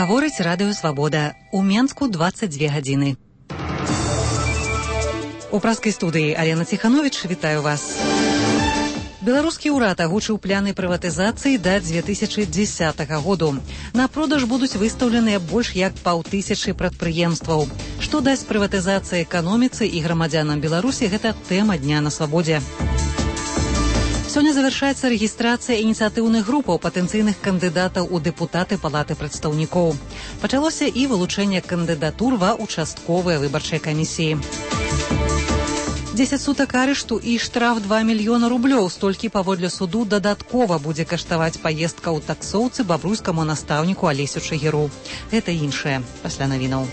Гаворыць радыё «Свабода». У Менску 22 гадзіны. У праскай студыі Алена Ціхановіч, вітаю вас. Беларускі ўрад агучыў пляны прыватызацыі да 2010 году. На продаж будуць выстаўленыя больш як 500 прадпрыемстваў. Што дасць прыватызацыя эканоміцы і грамадзянам Беларусі, гэта тэма дня на свабодзе. Сёння завяршаецца рэгістрацыя ініцыятыўных групаў патэнцыйных кандыдатаў у дэпутаты Палаты прадстаўнікоў. Пачалося і вылучэнне кандыдатур ва ўчастковыя выбарчыя камісіі. 10 сутак арышту і штраф 2 мільёна рублёў. Столькі паводле суду дадаткова будзе каштаваць паездка ў таксоўцы бабруйскаму настаўніку Алесю Чыгіру. Гэта іншае пасля навінаў.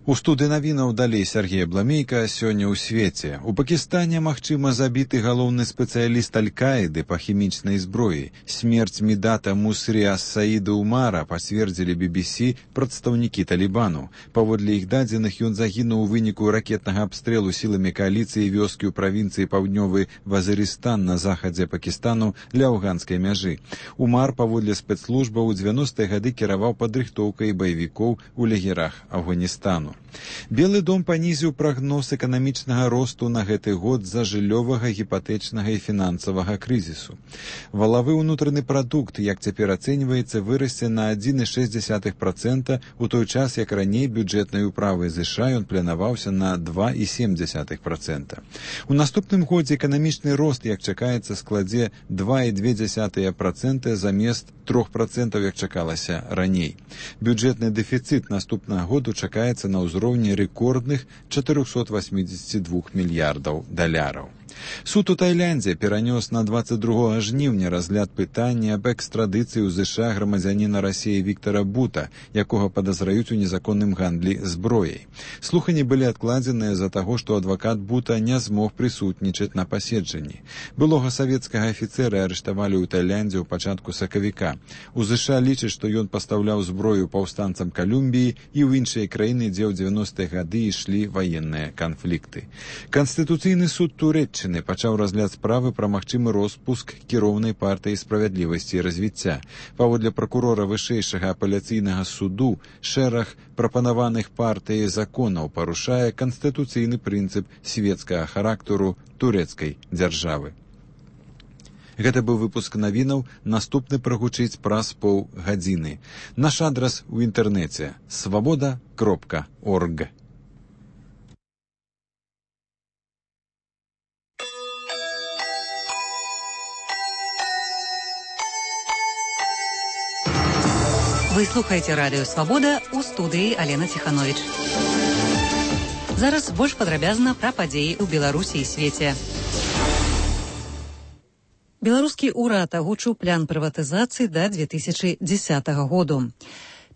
У студыі навінаў далей Сергей Бламейка. Сёння ў свеце. У Пакістане магчыма забіты галоўны спецыяліст Аль-Каіды па хімічнай зброі. Смерць Мідата Мусрі ас-Саіда Умара пацвердзілі BBC прадстаўнікі Талібану. Паводле іх дадзеных, ён загінуў у выніку ракетнага абстрэлу сіламі кааліцыі вёскі ў правінцыі Паўднёвы Вазырыстан на захадзе Пакістану ля афганскай мяжы. Умар, паводле спецслужбаў, у 90-е гады кіраваў падрыхтоўкай баевікоў у лагерах Афганістану. Белы дом панізіў прагноз эканамічнага росту на гэты год з-за жыллёвага, гіпатэчнага і фінансавага крызісу. Валавы ўнутраны прадукт, як цяпер ацэньваецца, вырасце на 1,6%, у той час, як раней бюджэтнай управай ЗША ён планаваўся на 2,7%. У наступным годзе эканамічны рост, як чакаецца, складзе 2,2% замест 3%, як чакалася раней. Бюджэтны дэфіцыт наступнага году чакаецца на ўзроўні рэкордных 482 мільярдаў даляраў. Суд у Тайландзе перанёс на 22 жніўня разгляд пытання аб экстрадыцыі ў ЗША грамадзяніна Расіі Віктара Бута, якога падазраюць у незаконным гандлі зброяй. Слуханні былі адкладзеныя з-за таго, што адвакат Бута не змог прысутнічаць на паседжанні. Былога савецкага афіцэра арыштавалі ў Тайландзе ў пачатку сакавіка. У ЗША лічаць, што ён пастаўляў зброю паўстанцам Калумбіі і ў іншыя краіны, дзе ў 90-е гады ішлі ваенныя канфлікты. Канстытуцыйны суд Турэччыны пачаў разгляд справы пра магчымы роспуск кіроўнай партыі справядлівасці і развіцця. Паводле пракурора вышэйшага апеляцыйнага суду, шэраг прапанаваных партыяй законаў парушае канстытуцыйны прынцып свецкага характару турэцкай дзяржавы. Гэта быў выпуск навінаў, наступны прагучыць праз паўгадзіны. Наш адрас у інтэрнэце свабода.орг. Вы слухаеце радыё «Свабода», у студыі Алена Ціхановіч. Зараз больш падрабязна пра падзеі ў Беларусі і свеце. Беларускі ўрад агучыў плян прыватызацыі да 2010 году.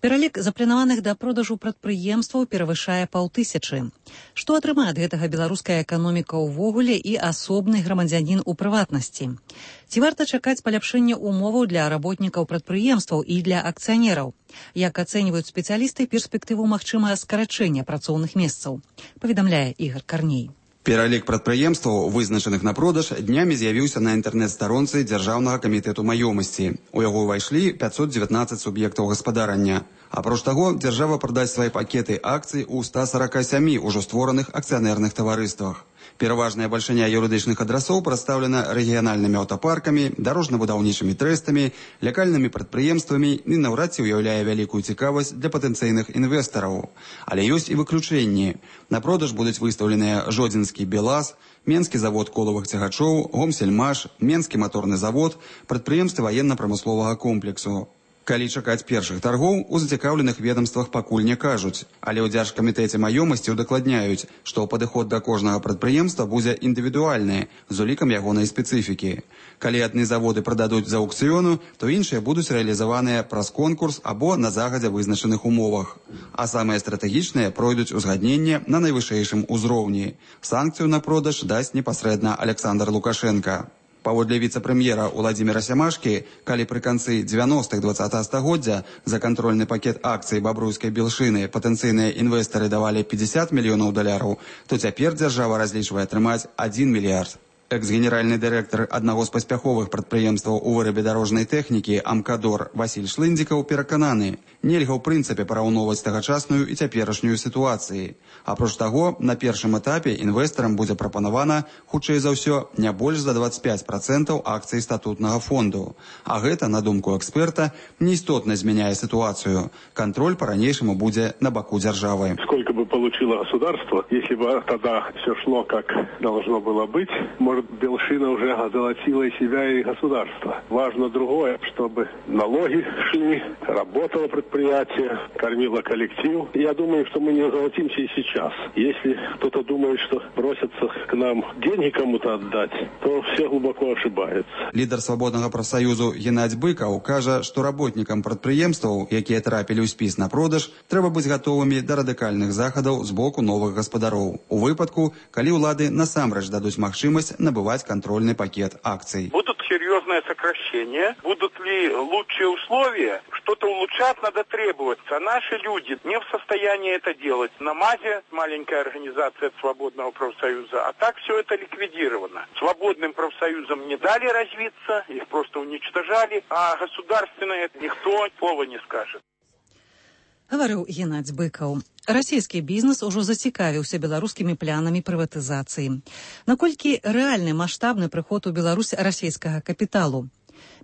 Пералік запланаваных да продажу прадпрыемстваў перавышае 500. Што атрымае ад гэтага беларуская эканоміка ўвогуле і асобны грамадзянін у прыватнасці? Ці варта чакаць паляпшэння умоваў для работнікаў прадпрыемстваў і для акцыянераў? Як ацэньваюць спецыялісты перспектыву магчымага скарачэння працоўных месцаў? Паведамляе Ігор Карней. Пералік прадпрыемстваў, вызначаных на продаж, днямі з'явіўся на інтэрнэт-старонцы Дзяржаўнага камітэту маёмасці. У яго ўвайшлі 519 суб'ектаў гаспадарання. Апроч таго, дзяржава прадасць свае пакеты акцый у 147 ужо створаных акцыянерных таварыствах. Пераважная бальшыня юрыдычных адрасоў прадстаўлена рэгіянальнымі аўтапаркамі, дарожна-будаўнічымі трэстамі, лякальнымі прадпрыемствамі і наўрад ці ўяўляе вялікую цікавасць для патэнцыйных інвестараў. Але ёсць і выключэнні. На продаж будуць выстаўленыя Жодзінскі БелАЗ, Менскі завод колавых цягачоў, Гомсельмаш, Менскі маторны завод, прадпрыемствы ваенна-прамысловага комплексу. Калі чакаць першых таргоў, у зацікаўленых ведомствах пакуль не кажуць, але ў Дзяржкамітэце маёмасці удакладняюць, што падыход да кожнага прадпрыемства будзе індывідуальны, з улікам ягонай спецыфікі. Калі адны заводы прададуць з аўкцыёну, то іншыя будуць рэалізаваныя праз конкурс або на загадзя вызначаных умовах. А самыя стратэгічныя пройдуць узгадненне на найвышэйшым узроўні. Санкцыю на продаж дасць непасрэдна Александр Лукашенка. Паводле віцэ-прэм'ера Уладзіміра Сямашкі, калі пры канцы 90-х 20-го стагоддзя за кантрольны пакет акцый бабруйскай белшыны патэнцыйныя інвестары давалі 50 мільёнаў даляраў, то цяпер дзяржава разлічвае атрымаць 1 мільярд. Экс-генеральны дырэктар аднаго з паспяховых прадпрыемстваў у вырабе дарожнай тэхнікі «Амкадор» Васіль Шлындзікаў перакананы, нельга ў прынцыпе параўноўваць тагачасную і цяперашнюю сітуацыі. Апроч таго, на першым этапе інвестарам будзе прапанавана, хутчэй за ўсё, не больш за 25% акцый статутнага фонду. А гэта, на думку эксперта, неістотна змяняе ситуацию. Контроль по-ранейшему будет на боку державы. Сколько бы получило государство, если бы тогда все шло как должно было быть, может, Белшина уже озолотила и себя, и государство. Важно другое, чтобы налоги шли, работало предприятие, кормило коллектив. Я думаю, что мы не озолотимся и сейчас. Если кто-то думает, что бросятся к нам деньги кому-то отдать, то все глубоко ошибаются. Лидер Свободного профсоюзу Геннадзь Быкаў кажа, што работнікам прадпрыемстваў, якія трапілі ў спіс на продаж, трэба быць гатовымі да радыкальных захадаў з боку новых гаспадароў. У выпадку, калі ўлады насамрэч дадуць магчымасць набываць контрольный пакет акций. Будут серьезные сокращения, будут ли лучшие условия, что-то улучшать надо требоваться. Наши люди не в состоянии это делать. На МАЗе маленькая организация Свободного профсоюза, а так все это ликвидировано. Свободным профсоюзам не дали развиться, их просто уничтожали, а государственное никто слова не скажет. Гаварыў Геннадзь Быкаў. Расійскі бізнес ужо зацікавіўся беларускімі планамі прыватызацыі. Наколькі рэальны маштабны прыход у Беларусь расійскага капіталу?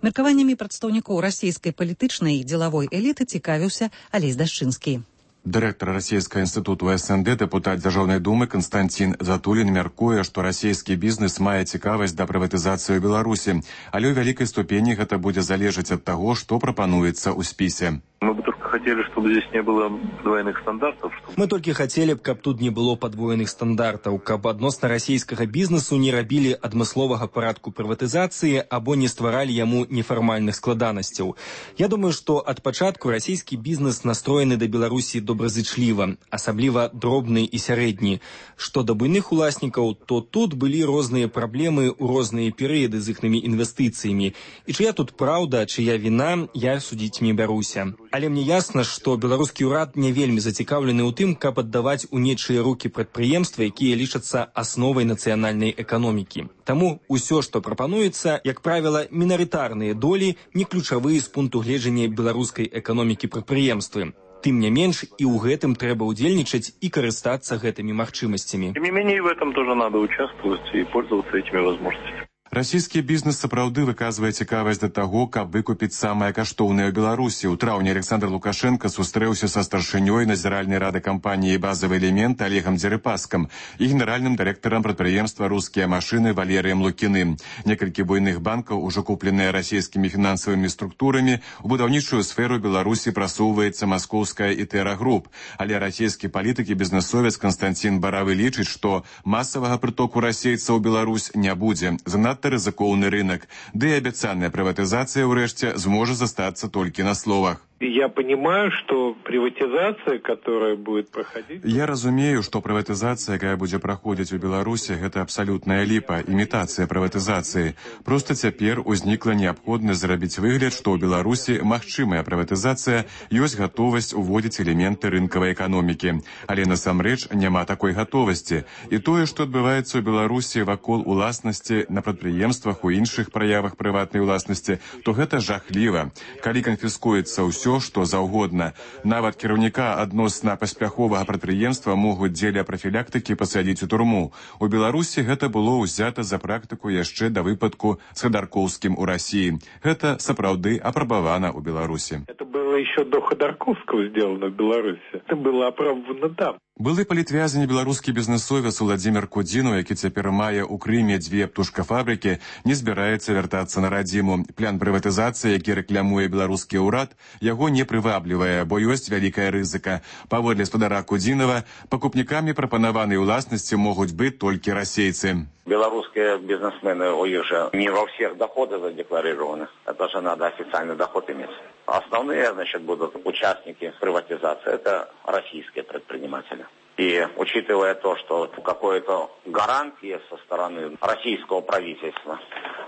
Меркаваннямі прадстаўнікоў расійскай палітычнай і дзелавой эліты цікавіўся Алесь Дашчынскі. Дырэктар расійскага інстытуту СНД, дэпутат Дзяржаўнай думы Канстантин Затулін мяркуе, што расійскі бізнес мае цікавасць да прыватызацыі ў Беларусі, але ў вялікай ступені гэта будзе залежаць ад таго, што прапануецца ў спісе. Мы бы только хотели, чтобы здесь не было двойных стандартов. Мы только хотели, каб тут не было подвоеных стандартаў, каб адносна расійскага бізнесу не рабілі адмысловага парадку прыватызацыі або не стваралі яму нефармальных складанасцяў. Я думаю, што ад пачатку расійскі бізнес настроены да Беларусі добразычліва, асабліва дробны і сярэдні. Што да буйных уласнікаў, то тут былі розныя праблемы ў розныя перыяды з іхнымі інвестыцыямі. І чыя тут праўда, чыя віна, я судзіць не бяруся. Але мне ясна, што беларускі ўрад не вельмі зацікаўлены ў тым, каб аддаваць у нечыя рукі прадпрыемствы, якія лічацца асновай нацыянальнай эканомікі. Таму ўсё, што прапануецца, як правіла, мінарытарныя долі, не ключавыя з пункту гледжання беларускай эканомікі прадпрыемствы. Тым не менш, і ў гэтым трэба ўдзельнічаць і карыстацца гэтымі магчымасцямі. Тем не менее, в этом тоже надо участвовать и пользоваться этими возможностями. Расійскі бізнес сапраўды выказвае цікавасць да таго, каб выкупіць самае каштоўнае ў Беларусі. У траўні Александр Лукашенко сустрэўся са старшынёй назіральнай рады кампаніі «Базавы элемент» Олегам Дзерыпаскам і генеральным дырэктарам прадпрыемства «Рускія машыны» Валерыем Лукіным. Некалькі буйных банкаў, ужо купленыя расійскімі фінансавымі структурамі, у будаўнічую сферу Беларусі прасоўваецца маскоўская «Ітэра Груп». Але расійскі палітык і бізнесовец Константин Баравы лічыць, што масавага прытоку расейцаў у Беларусь не будзе. Занадта рызыкоўны рынок, ды і абяцаная прыватызацыя ўрэшце зможа застацца толькі на словах. Я понимаю, что приватизация, которая будет проходить... Я разумею, што прыватызацыя, якая будзе праходзіць у Беларусі, гэта абсалютная ліпа, імітацыя прыватызацыі. Проста цяпер узнікла неабходнасць зрабіць выгляд, што ў Беларусі магчымая прыватызацыя, ёсць гатовасць уводзіць элементы рынкавай эканомікі. Але насамрэч няма такой гатовасці. І тое, што адбываецца ў Беларусі вакол уласнасці на прадпрыемствах, у іншых праявах прыватнай уласнасці, то гэта жахліва. Калі канфіскуецца ўсё, што заўгодна. Нават кіраўніка адносна паспяховага прадпрыемства могуць дзеля прафілактыкі пасадзіць у турму. У Беларусі гэта было ўзята за практыку яшчэ да выпадку з Ходорковскім у Расіі. Гэта сапраўды апрабавана ў Беларусі. Это было еще до Ходорковского сделано в Беларуси. Это было опробовано там. Былы палітвязень беларускі бізнесовец Владзімір Кудзінаў, які цяпер мае ў Крыме 2 птушкафабрыкі, не збіраецца вяртацца на радзіму. План прыватызацыі, які рэклямуе беларускі ўрад, яго не прываблівае, бо ёсць вялікая рызыка. Паводле спадара Кудзінава, пакупнікамі прапанаванай уласнасці могуць быць толькі расейцы. Белорусские бизнесмены, у них же не во всех доходы задекларированы. Это же надо официальный доход иметь. Основные, будут участники приватизации, это российские предприниматели. И учитывая то, что какой-то гарантии со стороны российского правительства.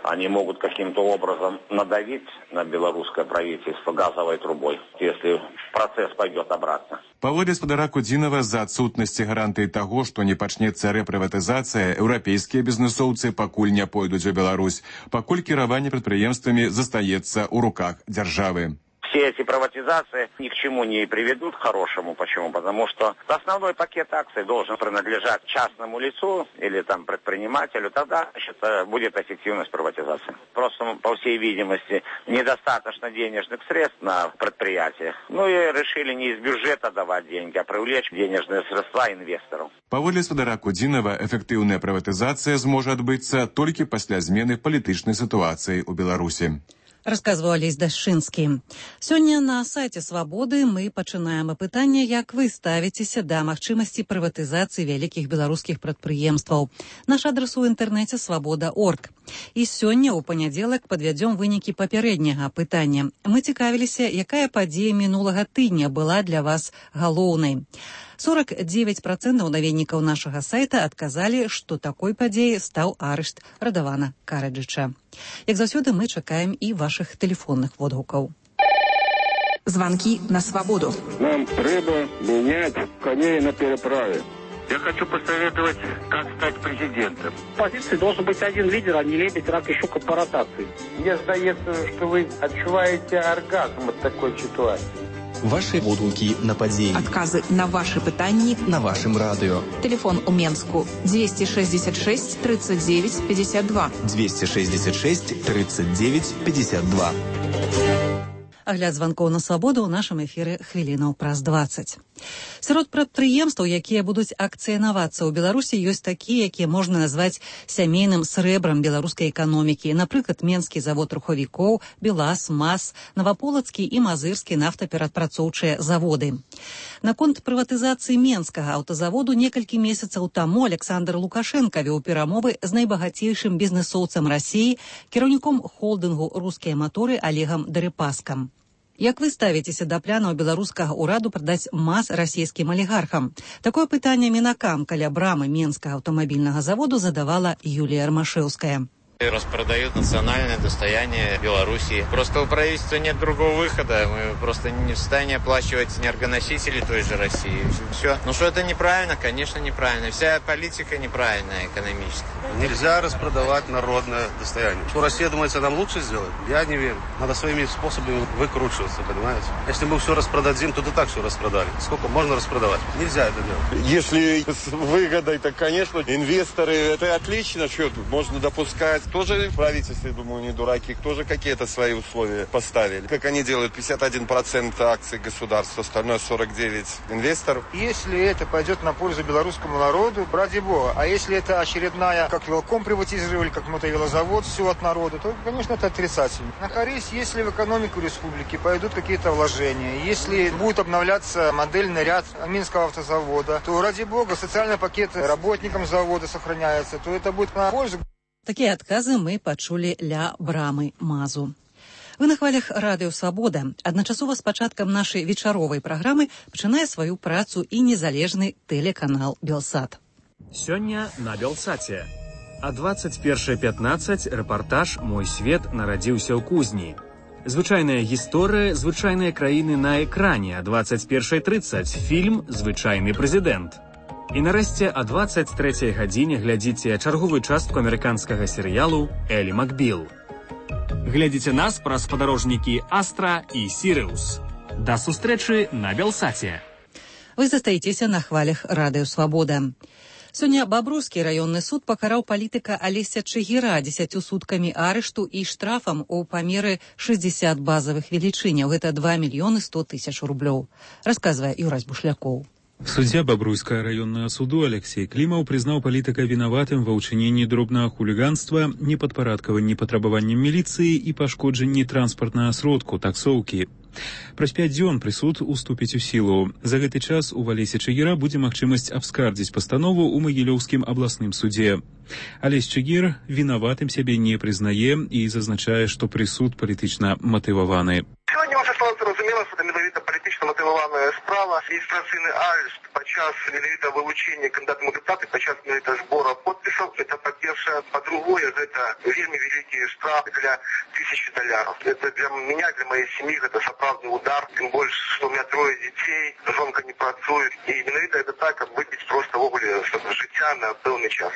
Они могут каким-то образом надавить на белорусское правительство газовой трубой, если процесс пойдет обратно. Паводле спадара Кудзінава, з-за адсутнасці гарантыі таго, што не пачнецца рэпрыватызацыя, еўрапейскія бізнэсоўцы пакуль не пойдуць у Беларусь, пакуль кіраванне прадпрыемствамі застаецца ў руках дзяржавы. Все эти приватизации ни к чему не приведут хорошему. Почему? Потому что основной пакет акций должен принадлежать частному лицу или там предпринимателю. Тогда, значит, будет эффективность приватизации. Просто, по всей видимости, недостаточно денежных средств на предприятиях. Ну и решили не из бюджета давать деньги, а привлечь денежные средства инвесторов. Паводле спадара Кудзінава, эфектыўная прыватызацыя зможа адбыцца толькі пасля змены палітычнай сітуацыі ў Беларусі. Расказваў Алесь Дашчынскі. Сёння на сайце «Свабоды» мы пачынаем апытанне, як вы ставіцеся да магчымасці прыватызацыі вялікіх беларускіх прадпрыемстваў. Наш адрас у інтэрнэце «Свабода.орг». І сёння, у панядзелак, падвядзём вынікі папярэдняга апытання. Мы цікавіліся, якая падзея мінулага тыдня была для вас галоўнай. 49% наведнікаў нашага сайта адказалі, што такой падзеяй стаў арышт Радавана Караджыча. Як заўсёды, мы чакаем і вашых тэлефонных водгукаў. Звонки на свободу. Нам треба менять коней на переправе. Я хочу посоветовать, как стать президентом. В позиции должен быть один лидер, а не лебедь, рак и щука по ротации. Мне сдается, что вы отчуваете оргазм от такой ситуации. Ваши водгуки на падзеі. Адказы на ваши пытанні на вашым радыё. Телефон у Менску 266 39 52. 266 39 52. Агляд званкоў на свабоду ў нашым эфіры хвілінаў праз 20. Сярод прадпрыемстваў, якія будуць акцыянавацца ў Беларусі, ёсць такія, якія можна назваць сямейным срэбрам беларускай эканомікі. Напрыклад, Менскі завод рухавікоў, БелАЗ, МАЗ, Наваполацкі і Мазырскі нафтаперапрацоўчыя заводы. Наконт прыватызацыі Менскага аўтазаводу некалькі месяцаў таму Александр Лукашенка вёў перамовы з найбагацейшым бізнэсоўцам Расіі, кіраўніком холдынгу «Рускія маторы» Олегам Дерипаскам. Як вы ставіцеся да планаў беларускага ўраду прадаць МАЗ расійскім алігархам? Такое пытанне мінакам каля брамы Менскага аўтамабільнага заводу задавала Юлія Армашэўская. Распродают национальное достояние Беларуси. Просто у правительства нет другого выхода. Мы просто не в состоянии оплачивать энергоносители той же России. Все. Ну что это неправильно? Конечно, неправильно. Вся политика неправильная, экономическая. Нельзя распродавать народное достояние. Что Россия думается нам лучше сделать? Я не верю. Надо своими способами выкручиваться, понимаете? Если мы все распродадим, то и так все распродали. Сколько можно распродавать? Нельзя это делать. Если с выгодой, то, конечно, инвесторы, это отлично, что можно допускать. Тоже правительство, я думаю, не дураки, тоже какие-то свои условия поставили. Как они делают, 51% акций государства, остальное 49% инвесторов. Если это пойдет на пользу белорусскому народу, ради бога. А если это очередная, как велком приватизировали, как мотовелозавод, все от народа, то, конечно, это отрицательно. На корысть, если в экономику республики пойдут какие-то вложения, если будет обновляться модельный ряд Минского автозавода, то, ради бога, социальные пакеты работникам завода сохраняются, то это будет на пользу. Такія адказы мы пачулі ля брамы МАЗу. Вы на хвалях радыё «Свабода». Адначасова з пачаткам нашай вечаровай праграмы пачынае сваю працу і незалежны тэлеканал «Белсат». Сёння на «Белсаце». А 21:15 рэпартаж «Мой свет нарадзіўся ў кузні». Звычайная гісторыя звычайныя краіны на экране. А 21:30 фільм «Звычайны прэзідэнт». І нарэшце о 23:00 гадзіне глядзіце чарговую частку амерыканскага серыялу «Элі Макбіл». Глядзіце нас праз спадарожнікі «Астра» і «Сірыус». Да сустрэчы на «Белсаце». Вы застаецеся на хвалях радыё «Свабода». Сёння Бабруйскі раённы суд пакараў палітыка Алеся Чыгіра 10 суткамі арышту і штрафам у памеры 60 базавых велічыняў. Гэта 2 мільёны 100 тысяч рублёў. Расказвае Юрась Бушлякоў. Суддзя Бабруйскага раённага суду Алексей Клімаў прызнаў палітыка вінаватым ва ўчыненні дробнага хуліганства, непадпарадкаванні патрабаванням міліцыі і пашкоджанні транспартнага сродку таксоўкі. Праз 5 дзён прысуд уступіць у сілу. За гэты час у Алеся Чыгіра будзе магчымасць абскардзіць пастанову ў Магілёўскім абласным судзе. Алесь Чыгір вінаватым сябе не прызнае і зазначае, што прысуд палітычна матываваны. Сьогодні вже стало зрозуміло, що це менавіта політично мотивована справа. Адміністраційний арешт під час менавіта вилучення кандидатами депутати, під час менавіта збору підписів. Це, по-перше. па-першае, па-другое, гэта вельмі вялікі штраф для $1000. Это для меня, для моей семьи, это сапраўдны удар, тым больш, што у меня 3 дзяцей, жонка не працуе, і менавіта это так, каб выбіць проста ввогуле жыцця на пэўны час.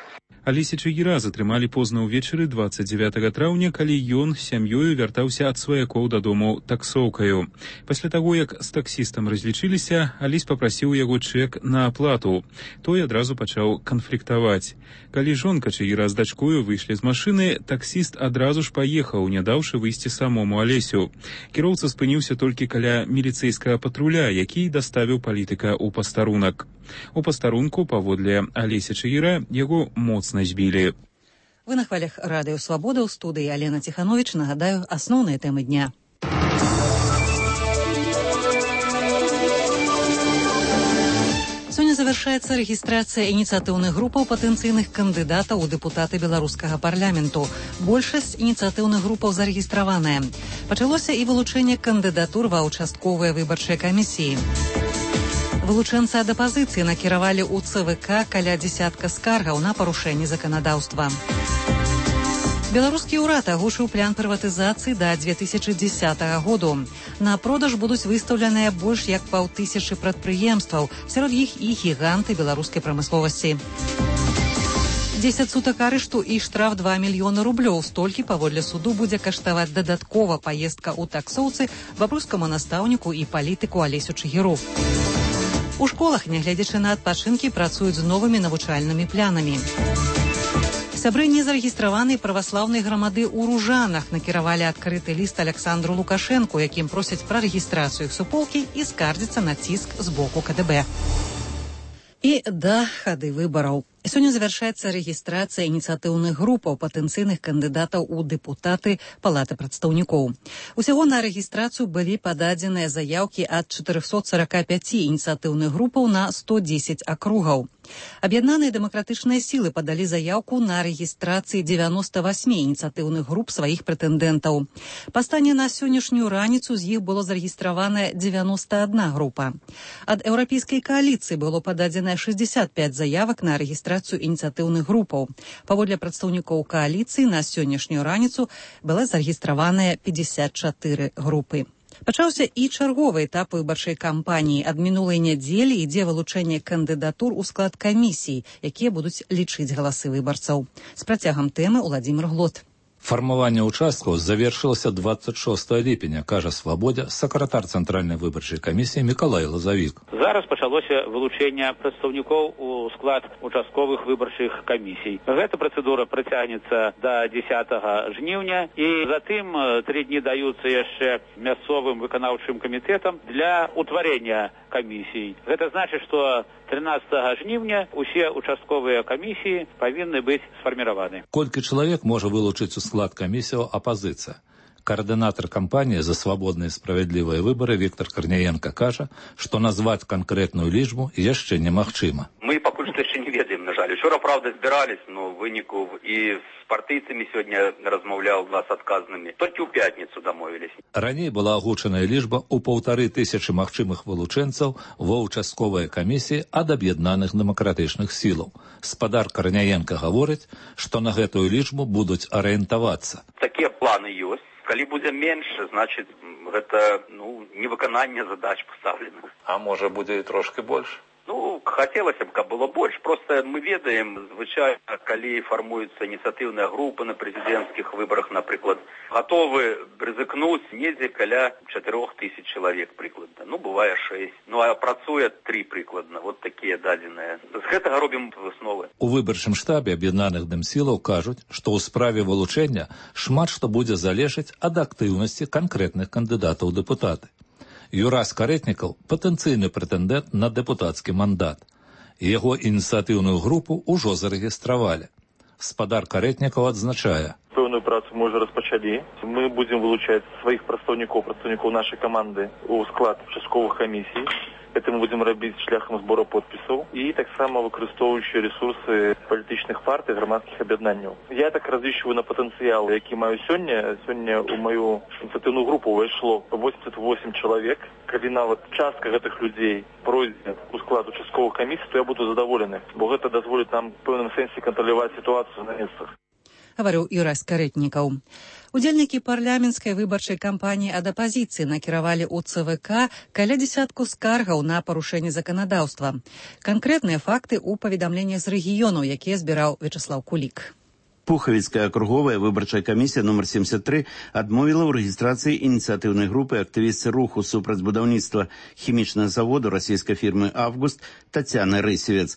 Алеся Чигира затрымалі позна ўвечары 29 траўня, калі ён з сям'ёю вяртаўся ад сваякоў дадому таксоўкаю. Пасля таго, як з таксістам разлічыліся, Алесь папрасіў яго чэк на аплату. Той адразу пачаў канфліктаваць. Калі жонка Чигира з дачкою выйшлі з машыны, таксіст адразу ж паехаў, не даўшы выйсці самому Алесю. Кіроўца спыніўся толькі каля міліцэйскага патруля, які даставіў палітыка ў пастарунак. У пастарунку, паводле Алеся Чигира, яго моцна збілі. Вы на хвалях радыё «Свабода», ў студыі Алена Ціхановіч. Нагадаю, асноўныя тэмы дня. Сёння завяршаецца рэгістрацыя ініцыятыўных групаў патэнцыйных кандыдатаў у дэпутаты беларускага парламенту. Большасць ініцыятыўных групаў зарэгістраваная. Пачалося і вылучэнне кандыдатур ва ўчастковыя выбарчыя камісіі. Вылучэнцы ад апазіцыі накіравалі ў ЦВК каля дзесятка скаргаў на парушэнне заканадаўства. Беларускі ўрад агучыў план прыватызацыі да 2010 году. На продаж будуць выстаўленыя больш як 500 прадпрыемстваў, сярод іх і гіганты беларускай прамысловасці. 10 сутак арышту і штраф 2 мільёны рублёў. Столькі, паводле суду, будзе каштаваць дадаткова паездка ў таксоўцы бабруйскаму настаўніку і палітыку Алесю Чигиру. У школах, нягледзячы на адпачынкі, працуюць з новымі навучальнымі планамі. Сябры незарэгістраванай праваслаўнай грамады ў Ружанах накіравалі адкрыты ліст Александру Лукашэнку, якім просяць пра рэгістрацыю іх суполкі і скардзіцца на ціск з боку КДБ. І да хады выбараў. Сёння завяршаецца рэгістрацыя ініцыятыўных групаў патэнцыйных кандыдатаў у дэпутаты Палаты прадстаўнікоў. Усяго на рэгістрацыю былі пададзеныя заяўкі ад 445 ініцыятыўных групаў на 110 акругаў. Аб'яднаныя дэмакратычныя сілы падалі заяўку на рэгістрацыі 98 ініцыятыўных груп сваіх прэтэндэнтаў. Па стане на сённяшнюю раніцу з іх было зарэгістравана 91 група. Ад еўрапейскай кааліцыі было пададзена 65 заявак на рэгістрацыю ініцыятыўных групаў. Паводле прадстаўнікоў кааліцыі на сённяшнюю раніцу была зарэгістраваная 54 групы. Пачаўся і чарговы этап выбарчай кампаніі. Ад минулай нядзелі ідзе вылучэнне кандыдатур у склад камісій, якія будуць лічыць галасы выбарцаў. З працягам тэмы Уладзімір Глот. Фармаванне ўчасткаў завершылася 26 ліпеня, кажа «Свабодзе» сакратар Цэнтральнай выбарчай камісіі Мікалай Лазавік. Зараз пачалося вылучэнне прадстаўнікоў у склад участковых выбарчых камісій. Гэта працэдура працягнецца да 10 жніўня, і затым 3 дні даюцца яшчэ мясцовым выканаўчым камітэтам для утварэння камісій. Гэта значыць, што 13 жніўня усе участковыя камісіі павінны быць сфарміраваны. Колькі чалавек можа вылучыць у склад камісіяў апазіцыя? Координатор кампании «За свободные и справедливые выборы» Виктор Корняенко кажа, што назваць канкрэтную лічбу яшчэ немагчыма. Мы пакуль што яшчэ не ведаем, на жаль. Учора, правда, збірались, но выніку і з партыйцамі сёння размаўляў з адказнымі. Толькі ў пятніцу дамовілись. Раней была агучаная лічба ў 1500 магчымых вылучэнцаў ва ўчастковыя камісіі ад аб'яднаных дэмакратычных сілаў. Спадар Корняенко гаворыць, што на гэтую лічбу будуць арыентавацца. Такія планы ёсць. Калі будзе менш, значыць, гэта невыкананне задач пастаўленых. А можа будзе і трошки больш? Хацелася б, каб было больш. Просто мы ведаем, звычайна, калі фармуюцца ініцыятыўныя групы на прэзідэнцкіх выбарах, напрыклад, гатовы рызыкнуць недзе каля 4000 чалавек прыкладна. Бывае 6. А працуе 3 прыкладна. Вот такія дадзеныя. З гэтага робім высновы. У выбарчым штабе аб'яднаных дэмсілаў кажуць, што ў справе вылучэння шмат што будзе залежаць ад актыўнасці канкрэтных кандыдатаў у дэпутаты. Юрас Карэтнікаў – патэнцыйны прэтэндэнт на дэпутацкі мандат. Яго ініцыятыўную групу ўжо зарэгістравалі. Спадар Карэтнікаў адзначае. У пэўную працу мы уже распачалі. Мы будем вылучаць сваіх прадстаўнікоў нашай каманды у склад участковых камісій. Это мы будем рабіць шляхам збора подпісаў і таксама выкарыстоўваючы ресурсы палітычных партый, грамадскіх аб'яднанняў. Я так разлічваю на патэнцыял, які маю сёння. Сёння ў маю ініцыятыўную групу увайшло 88 чалавек. Калі нават частка гэтых людзей пройдзе у склад участковых камісій, то я буду задаволены, бо гэта дазволіць нам в пэўным сэнсе кантраляваць сітуацыю на месцах. Гаварыў Юрась Карэтнікаў. Удзельнікі парламенцкай выбарчай кампаніі ад апазіцыі накіравалі ў ЦВК каля дзесятку скаргаў на парушэнне заканадаўства. Канкрэтныя факты ў паведамленнях з рэгіёнаў, якія збіраў Вячеслав Кулік. Пухавіцкая акруговая выбарчая камісія номер 73 адмовіла ў рэгістрацыі ініцыятыўнай групы актывістцы руху супраць будаўніцтва хімічнага заводу расійскай фірмы «Август» Тацяны Рысевец.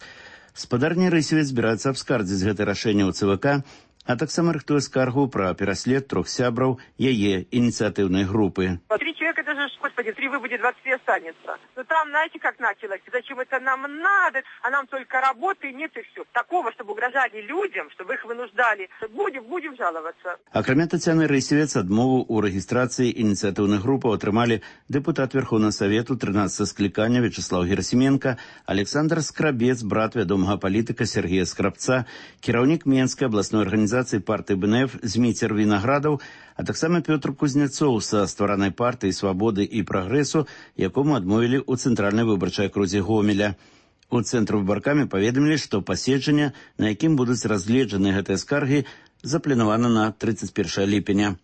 Спадарня Рысевец збіраецца абскардзіць гэта рашэнне ў ЦВК, а таксама рыхтуе скаргу пра пераслед 3 сябраў яе инициативной группы. 3 человека, это же, господи, 3 выбудет, 23 останется. Но там, знаете, как началось? Зачем это нам надо? А нам только работы нет и все. Такого, чтобы угрожали людям, чтобы их вынуждали. Будем жаловаться. Акрамя Тацяны Рысевец, адмову у регистрации инициативных групп отрымали депутат Верховного Совету 13 скликания Вячеслав Герасименко, Александр Скрабец, брат вядомага политика Сергея Скрабца, кіраўнік Менской областной организации партии БНФ Зміцер Виноградов, а таксама Петр Кузнецов са стваранай партыі «Свободы» і «Прогрессу», якому адмовілі ў цэнтральнай выбарчай акрузе Гомеля. У цэнтру выбаркамі паведамілі, што паседжанне, на якім будуць разгледжаны гэтыя скаргі, запланавана на 31 ліпеня.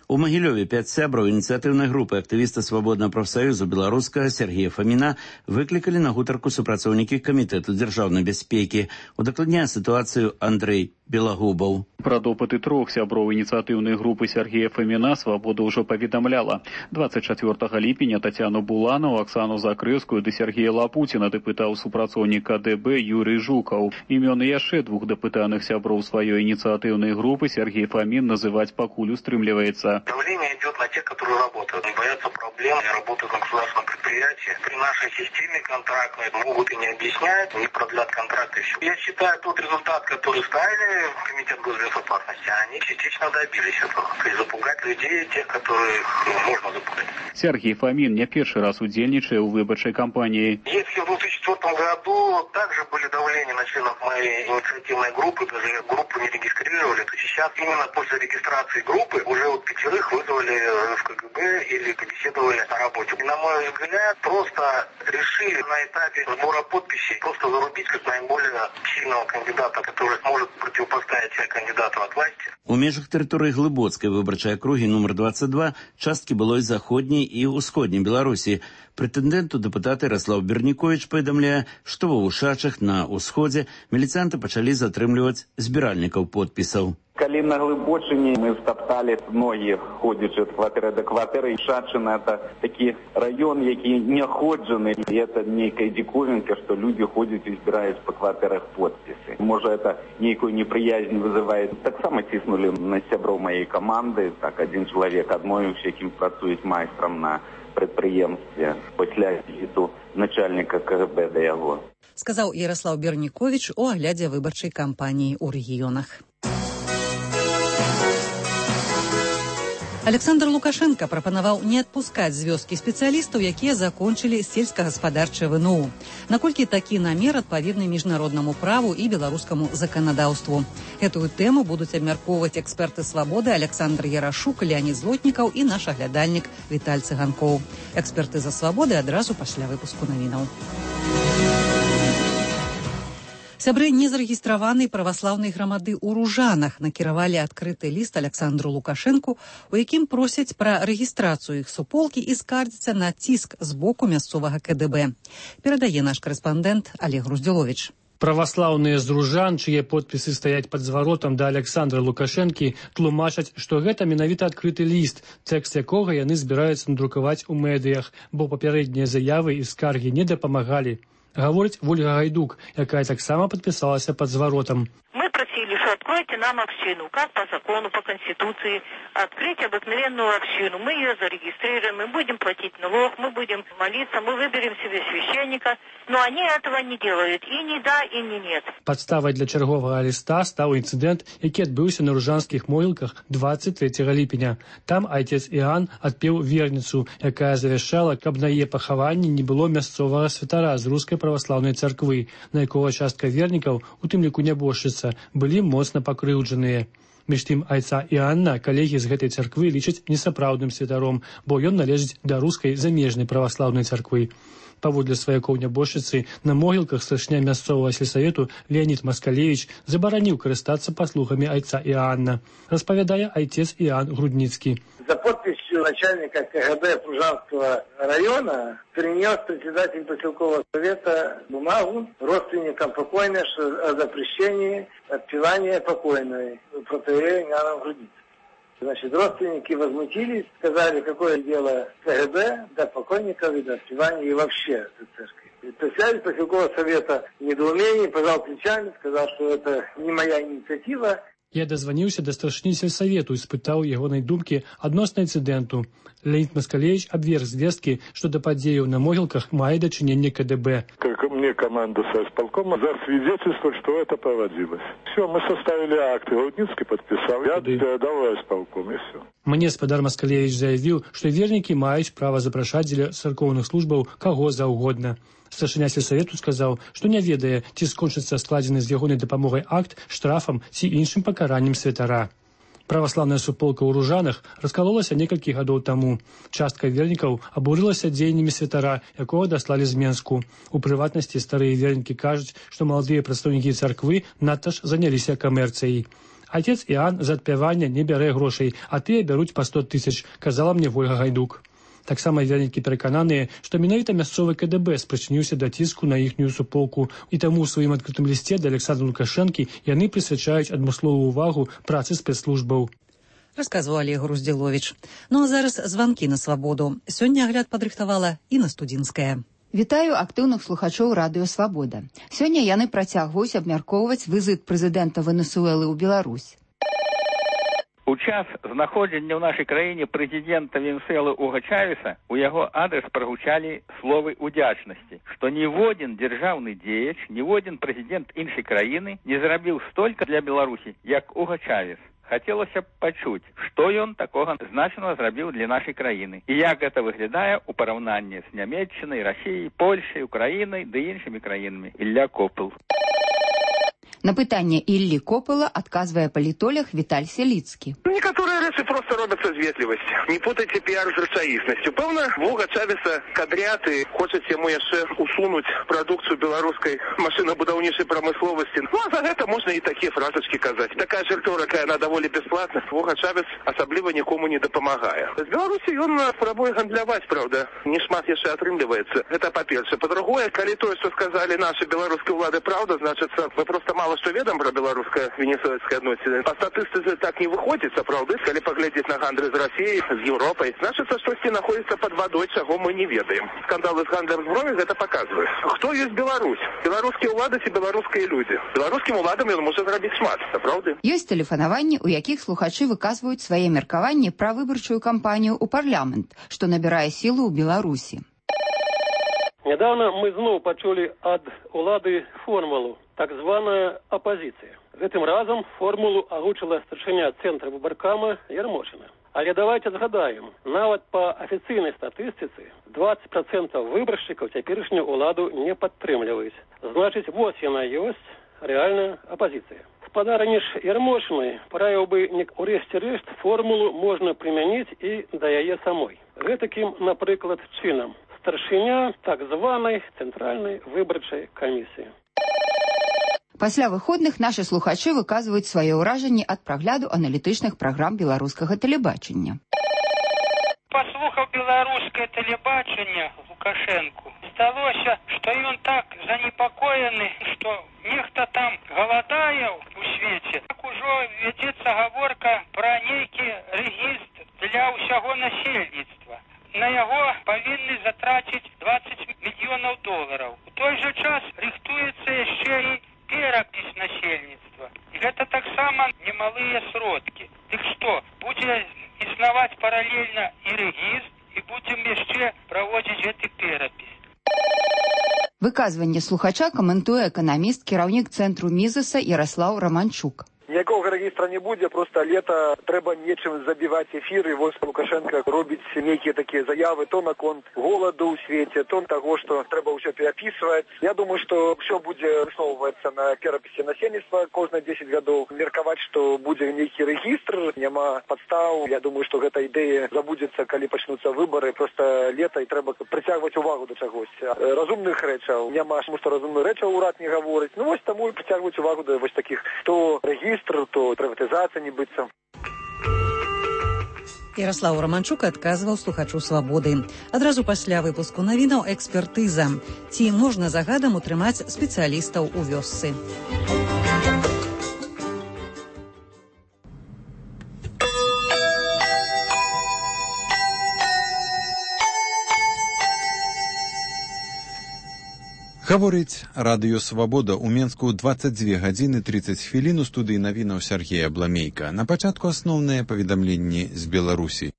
У Магілёве 5 сябраў ініцыятыўнай групы актывіста Свабоднага прафсаюзу беларускага Сергея Фаміна выклікалі на гутарку супрацоўнікі Камітэту дзяржаўнай бяспекі. Удакладняе сітуацыю Андрэй Белагубаў. Пра допыты 3 сяброў ініцыятыўнай групы Сергея Фаміна «Свабода» ўжо паведамляла. 24 ліпеня Тацяну Буланову, Аксану Закрэўскую ды Сергея Лапуціна дапытаў супрацоўнік КДБ Юрый Жукаў. Імёны яшчэ 2 дапытаных сяброў сваёй ініцыятыўнай групы Сергей Фамін называць пакуль устрымліваецца. Давление идет на тех, которые работают. Не боятся проблем, не работают на государственном предприятии. При нашей системе контрактной могут и не объяснять, не продлят контракты. Я считаю, тот результат, который ставили в Комитет госбезопасности, они частично добились этого. То есть запугать людей, тех, которых можно запугать. Сергей Фомин не первый раз удельничая у выборчей кампании. Если в 2004 году также были давления на членов моей инициативной группы, даже группу не регистрировали, то сейчас именно после регистрации группы уже вот 5 вызвали в КГБ или побеседовали на работе. И, на мой взгляд, просто решили на этапе сбора подписей просто зарубить как наиболее сильного кандидата, который сможет противопоставить себя кандидату от власти. У межах тэрыторыі Глыбоцкай выбарчай акругі номер 22 часткі былой заходняй і ўсходняй Беларусі. Прэтэндэнту дэпутат Ярослав Берніковіч паведамляе, што ва Ушачах на ўсходзе міліцыянты пачалі затрымліваць збіральнікаў подпісаў. Калі на Глыбочыне мы стоптали ногі, ходзячы ад кватэры да кватэры. Шачына – это такі раён, які не ходжаны. І это нейкая диковинка, што люди ходзяць і збіраюць па кватэрах подпісы. Можа, это нейкую неприязнь вызывает. Таксама ціснули на сяброў маёй каманды. Так, один чалавек адмовіўся, якім працуюць майстрам на прадпрыемстве пасля візіту начальніка КГБ да яго. Сказаў Ярослав Берніковіч у аглядзе выбарчай кампаніі ў рэгіёнах. Александр Лукашенко прапанаваў не адпускаць з вёскі спецыялістаў, якія закончылі сельскагаспадарчае ВНУ. Наколькі такі намер адпаведны міжнароднаму праву і беларускаму заканадаўству. Гэтую тэму будуць абмяркоўваць эксперты «Свабоды» Александр Ярашук, Леонид Злотнікаў і наш аглядальнік Віталь Цыганкоў. Эксперты за «Свабоды» адразу пасля выпуску навінаў. Сябры незарэгістраванай праваслаўнай грамады ў Ружанах накіравалі адкрыты ліст Александру Лукашэнку, у якім просяць пра рэгістрацыю іх суполкі і скардзяцца на ціск з боку мясцовага КДБ. Перадае наш корэспандэнт Олег Груздзіловіч. Праваслаўныя з Ружан, чые подпісы стаяць пад зваротам да Александра Лукашэнкі, тлумачаць, што гэта менавіта адкрыты ліст, тэкст якога яны збіраюцца надрукаваць у медыях, бо папярэднія заявы і скаргі не дапамагалі. Гаворыць Вольга Гайдук, якая таксама падпісалася пад зваротам. Мы просили откройте нам общину. Как по закону, по Конституции. Открыть обыкновенную общину. Мы ее зарегистрируем, мы будем платить налог, мы будем молиться, мы выберем себе священника. Но они этого не делают. И не да, и не нет. Падставай для чарговага ліста стаў інцыдэнт, які адбыўся на Ружанскіх могілках 23 ліпеня. Там айцец Іан адпеў верніцу, якая завяшчала, каб на яе пахаванні не было мясцовага святара з рускай праваслаўнай царквы, на якога частка вернікаў, у тым ліку нябожчыца, былі моцна пакрыўджаныя. Між тым айца Іанна калегі з гэтай царквы лічаць несапраўдным святаром, бо ён належыць да рускай замежнай праваслаўнай царквы. Паводле сваякоў нябожчыцы, на могілках старшыня мясцовага сельсавету Леонид Маскалевич забараніў карыстацца паслугамі айца Іанна, распавядае айцец Іан Грудніцкі. За подписью начальника КГБ Пружанского района принес председатель поселкового совета бумагу родственникам покойной о запрещении отпевания покойной протоиерея Иоанна Грудницкого. Значит, родственники возмутились, сказали, какое дело КГБ до покойников и до отпевания и вообще до церкви. Председатель поселкового совета в недоумении пожал плечами, сказал, что это не моя инициатива. Я дазваніўся да старшыні сельсавету і спытаў ягонай думкі адносна інцыдэнту. Леонид Маскалевич абверг звесткі, што да падзеяў на могілках мае дачыненне КДБ. Как мне команда соисполкома засвидетельствовать, что это проводилось. Все, мы составили акты, Грудницкий подписал, я передал исполком, и все. Мне спадар Маскалевич заявіў, што вернікі маюць права запрашаць дзеля царкоўных службаў каго заўгодна. Старшыня сельсавету сказаў, што не ведае, ці скончыцца складзены з ягонай дапамогай акт штрафам ці іншым пакараннем святара. Праваслаўная суполка ў Ружанах раскалолася некалькі гадоў таму. Частка вернікаў абурылася дзеяннямі святара, якога даслалі з Менску. У прыватнасці старыя вернікі кажуць, што маладыя прадстаўнікі царквы надта ж заняліся камерцыяй. Отец Іан за адпявання не бярэ грошай, а тыя бяруць па 100 000, казала мне Вольга Гайдук. Таксама вернікі перакананыя, што менавіта мясцовы КДБ спрычыніўся да ціску на іхнюю суполку, і таму ў сваім адкрытым лісце да Александра Лукашэнкі яны прысвячаюць адмысловую ўвагу працы спецслужбаў. Расказваў Олег Груздзіловіч. Ну а зараз званкі на свабоду. Сёння агляд падрыхтавала Інна Студзінская. Вітаю актыўных слухачоў радыё «Свабода». Сёння яны працягваюць абмяркоўваць візіт прэзідэнта Венесуэлы ў Беларусь. У час знаходжання ў нашай краіне прэзідэнта Венесуэлы Уга Чавеса у яго адрес прагучалі словы удзячнасці, што ніводзін дзяржаўны дзеяч, ніводзін прэзідэнт іншай краіны не зрабіў столькі для Беларусі, як Уга Чавес. Хацелася б пачуць, што ён такога значнага зрабіў для нашай краіны і як гэта выглядае ў параўнанні з Нямецчынай, Расіяй, Польшай, Украінай ды іншымі краінамі. Ілля Копыл. На пытанне Іллі Копыла адказвае палітолог Віталь Селіцкі. Некоторые рэчы просто робятся з ветлівасці. Не путайте піар з рэчаіснасцю. Пэўна, Вуга Чавеса кадрят і хочуць яму яшчэ усунуць прадукцыю беларускай машынабудаўнічай прамысловасці. Ну, а за гэта можна і такія фразачкі казаць. Такая ж рыторыка, яна даволі бясплатна. Вуга Чавес асабліва нікому не дапамагае. З Беларусі ён спрабуе гандляваць, правда. Не шмат яшчэ атрымліваецца. Гэта па-першае. Па-другое, калі тое, што сказалі нашы беларускія ўлады, правда, значыцца, мы просто мало что ведом про белорусско-венесуэльские отношения. По статистике так не выходит, правда, если поглядеть на гандри с Россией, с Европой. Значит, что находится под водой, чего мы не ведаем. Скандалы с гандлем зброей это показывает. Кто есть Беларусь? Белорусские улады и белорусские люди. Белорусским уладам он может зрабіць шмат, правда? Ёсць тэлефанаванні, у якіх слухачы выказваюць свае меркаванні пра выбарчую кампанію ў парламент, што набірае сілу ў Беларусі. Недавно мы зноў пачулі ад улады формулу, так званая апозіцыя. Гэтым разам формулу агучыла старшыня цэнтра выбаркама Ярмошына. Але давайте згадаем, нават па афіцыйнай статыстыцы 20% выбаршчыкаў цяперашнюю ўладу не падтрымліваюць. Значыць, вось яна ёсць рэальная апозіцыя. Спадарыні ж Ярмошынай параіў бы урэшце-рэшт формулу можна прымяніць і да яе самой. Гэтакім, напрыклад, чынам. Старшыня так званай цэнтральнай выбарчай камісіі. Пасля выходных нашы слухачы выказваюць свае ўражанні ад прагляду аналітычных праграм беларускага тэлебачання. Паслухаў беларускае тэлебачанне Лукашэнку. Здалося, што ён так занепакоены, што нехта там галадае у свеце. Так ужо вядзецца гаворка пра нейкі рэгістр для ўсяго насельніцтва. На яго павінны затраціць $20 мільёнаў. У той жа час рыхтуецца яшчэ і перапіс насельніцтва. І гэта таксама такія сродкі. Дык што, будзе існаваць паралельна і рэгістр, і будзем яшчэ праводзіць гэты перапіс. Выказванне слухача каментуе эканаміст, кіраўнік цэнтру Мізеса Ярослаў Романчук. Ніякого регістра не буде, просто лето треба нечим забивать эфиры. Вот Лукашенко робит некие такие заявы, то на конт голоду в свете, то того, что треба все переписывать. Я думаю, что все будет высовываться на переписи насельництва каждые 10 годов. Мерковать, что будет некий регистр, нема подстав. Я думаю, что эта идея забудется, когда начнутся выборы. Просто лето и треба притягивать увагу до чогось. Разумных речей. Нема, потому что разумных речей уряд не говорит. Ну, вот тому и притягивать увагу до вот таких, то регистр, то приватизація не быцца. Ярослаў Романчук адказваў слухачу «Свабоды». Адразу пасля выпуску навінаў экспертыза. Ці можна загадам утрымаць спецыялістаў у вёсцы? Гаворыць радыё «Свабода» ў Менску 22 гадзіны 30 хвілін у студыі навінаў Сергея Бламейка. На пачатку асноўныя паведамленні з Беларусі.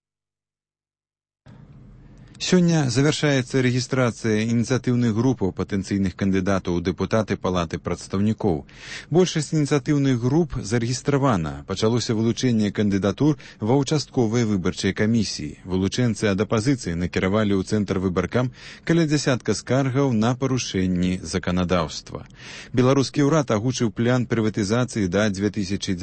Сёння завяршаецца рэгістрацыя ініцыятыўных групаў патэнцыйных кандыдатаў у дэпутаты палаты прадстаўнікоў. Большасць ініцыятыўных груп зарэгістравана. Пачалося вылучэнне кандыдатур ва ўчастковай выбарчай камісіі. Вылучэнцы ад апазіцыі накіравалі ў цэнтр выбаркам каля дзясятка скаргаў на парушэнні заканадаўства. Беларускі ўрад агучыў план прыватызацыі да 2010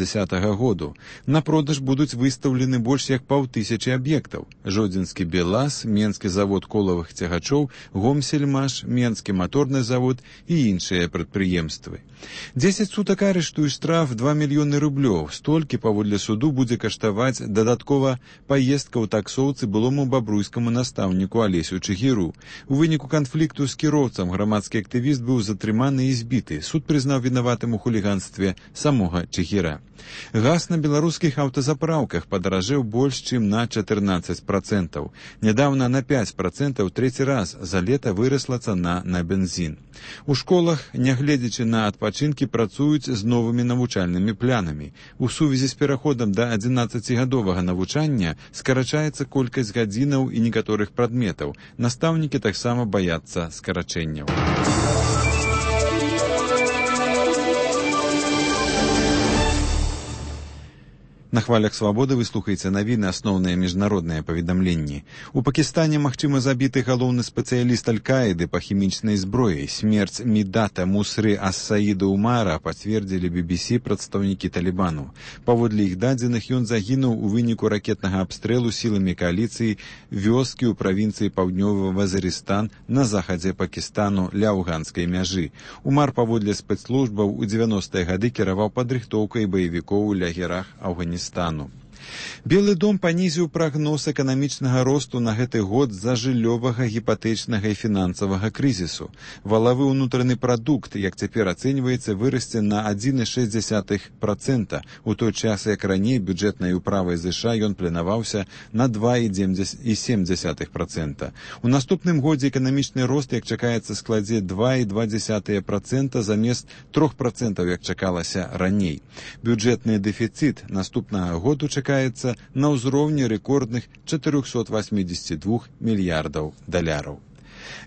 году. На продаж будуць выстаўлены больш як 500 аб'ектаў. Жодзінскі Белаз, Менскі завод колавых цягачоў, Гомсельмаш, Менскі маторны завод і іншыя прадпрыемствы. 10 сутак арышту і штраф 2 мільёны рублёў. Столькі, паводле суду, будзе каштаваць дадаткова паездка ў таксоўцы былому бабруйскаму настаўніку Алесю Чыгіру. У выніку канфлікту з кіроўцам грамадскі актывіст быў затрыманы і збіты. Суд прызнаў вінаватым у хуліганстве самога Чыгіра. Газ на беларускіх аўтазапраўках падаражэў больш, чым на 14%. Нядаўна на 5% трэці раз за лета вырасла цана на бензін. У школах, нягледзячы на адпачынкі, працуюць з новымі навучальнымі планамі. У сувязі з пераходам да 11-гадовага навучання скарачаецца колькасць гадзінаў і некаторых прадметаў. Настаўнікі таксама баяцца скарачэнняў. На хвалях «Свабоды» вы слухаеце навіны, асноўныя міжнародныя паведамленні. У Пакістане магчыма забіты галоўны спецыяліст Аль-Каіды па хімічнай зброі. Смерць Мідата Мусры Ас-Саіда Умара пацвердзілі BBC прадстаўнікі Талібану. Паводле іх дадзеных, ён загінуў у выніку ракетнага абстрэлу сіламі кааліцыі вёскі ў правінцыі Паўднёвы Вазірыстан на захадзе Пакістану ля афганскай мяжы. Умар, паводле спецслужбаў, у 90-е гады кіраваў падрыхтоўкай баевікоў у лагерах Афганістану. Белы дом панізіў прагноз эканамічнага росту на гэты год з-за жыллёвага, гіпатэчнага і фінансавага крызісу. Валавы ўнутраны прадукт, як цяпер ацэньваецца, вырасце на 1,6%, у той час, як раней бюджэтнай управай ЗША ён планаваўся на 2,7%. У наступным годзе эканамічны рост, як чакаецца, складзе 2,2% замест 3%, як чакалася раней. Бюджэтны дэфіцыт наступнага году чакаецца на ўзроўні рэкордных 482 мільярдаў даляраў.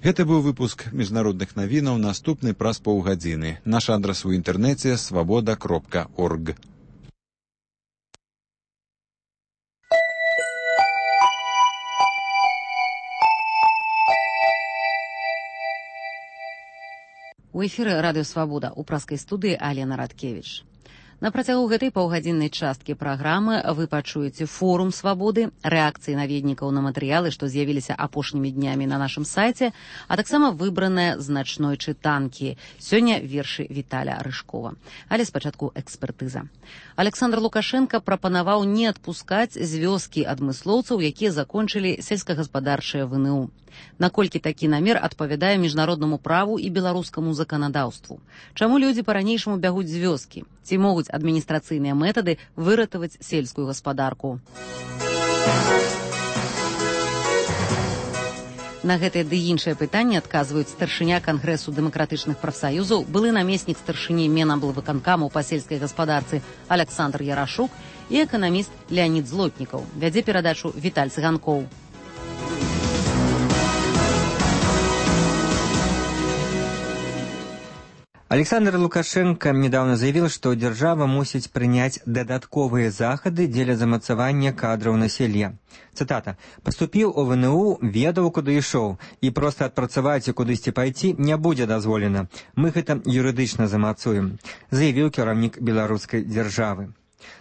Гэта быў выпуск міжнародных навінаў, наступны праз паўгадзіны. Наш адрас у інтэрнэце свабода.орг. У эфіры радыё «Свабода» у праскай студыі Алена Радкевіч. На працягу гэтай паўгадзіннай часткі праграмы вы пачуеце форум «Свабоды», рэакцыі наведнікаў на матэрыялы, што з'явіліся апошнімі днямі на нашым сайце, а таксама выбраныя з начной чытанкі. Сёння вершы Віталя Рыжкова. Але спачатку экспертыза. Александр Лукашенко прапанаваў не адпускаць з вёскі адмыслоўцаў, якія закончылі сельскагаспадарчае ВНУ. Наколькі такі намер адпавядае міжнароднаму праву і беларускаму заканадаўству? Чаму людзі па-ранейшаму бягуць з вёскі? Ці могуць адміністрацыйныя метады выратаваць сельскую гаспадарку? На гэтыя ды іншыя пытанні адказваюць старшыня Кангрэсу дэмакратычных прафсаюзаў, былы намеснік старшыні Менаблвыканкаму па сельскай гаспадарцы Александр Ярашук і эканаміст Леонид Злотнікаў. Вядзе перадачу Віталь Цыганкоў. Александр Лукашенко недавно заявил, что держава мусіць прыняць дадатковыя захады дзеля замацавання кадраў населья. Цитата. «Поступіў у ВНУ, ведаў, куды ішоў, і проста адпрацаваць і кудысьці пайти не будзе дазволена. Мы гэта юрыдычна замацуем», заявіў кіраўнік беларускай дзяржавы.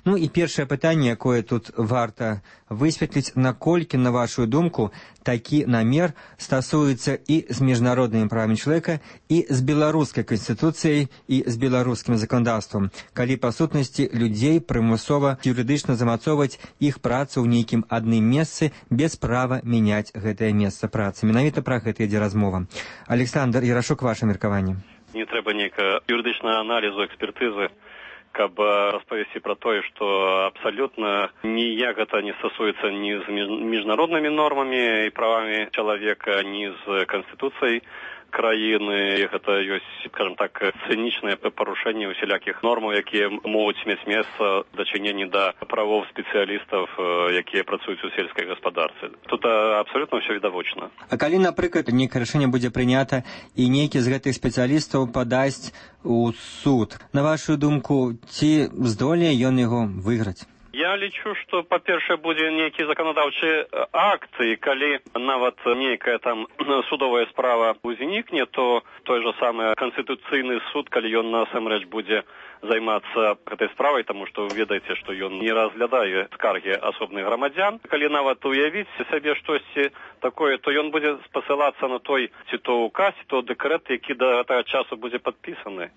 Ну і першае пытанне, якое тут варта высветліць, наколькі, на вашу думку, такі намер стасуецца і з міжнароднымі правамі чалавека, і з беларускай канстытуцыяй, і з беларускім заканадаўствам, калі па сутнасці людзей прымусова юрыдычна замацоўваць іх працу ў нейкім адным месцы без права мяняць гэтае месца працы. Менавіта пра гэта ідзе размова. Александр Ярашук, ваше меркаванне. Не трэба нейкага юрыдычнага аналізу, экспертызы, каб распавесці пра тое, што абсалютна ніяк гэта не стасуецца ні з міжнароднымі нормамі і правамі чалавека, ні з канстытуцыяй краіны. Гэта ёсць, скажем так, цынічнае парушэнне усялякіх нормаў, якія могуць мець месца дачыненні да правоў спецыялістаў, якія працуюць у сельскай гаспадарцы. Тут абсалютна ўсё відавочна. А калі, напрыклад, нейкае рашэнне будзе прынята і нейкі з гэтых спецыялістаў падасць у суд, на вашу думку, ці здолее ён яго выйграць? Я лічу, што, па-першае, будзе нейкі заканадаўчы акт, і калі нават нейкая там судовая справа узнікне, то той жа самы канстытуцыйны суд, калі ён насамрэч будзе займацца гэтай справай, таму што вы ведаеце, што ён не разглядае скаргі асобных грамадзян. Калі нават уявіць сабе штосьці такое, то ён будзе спасылацца на той ці то указ, ці то дэкрэт, які да гэтага часу будзе падпісаны.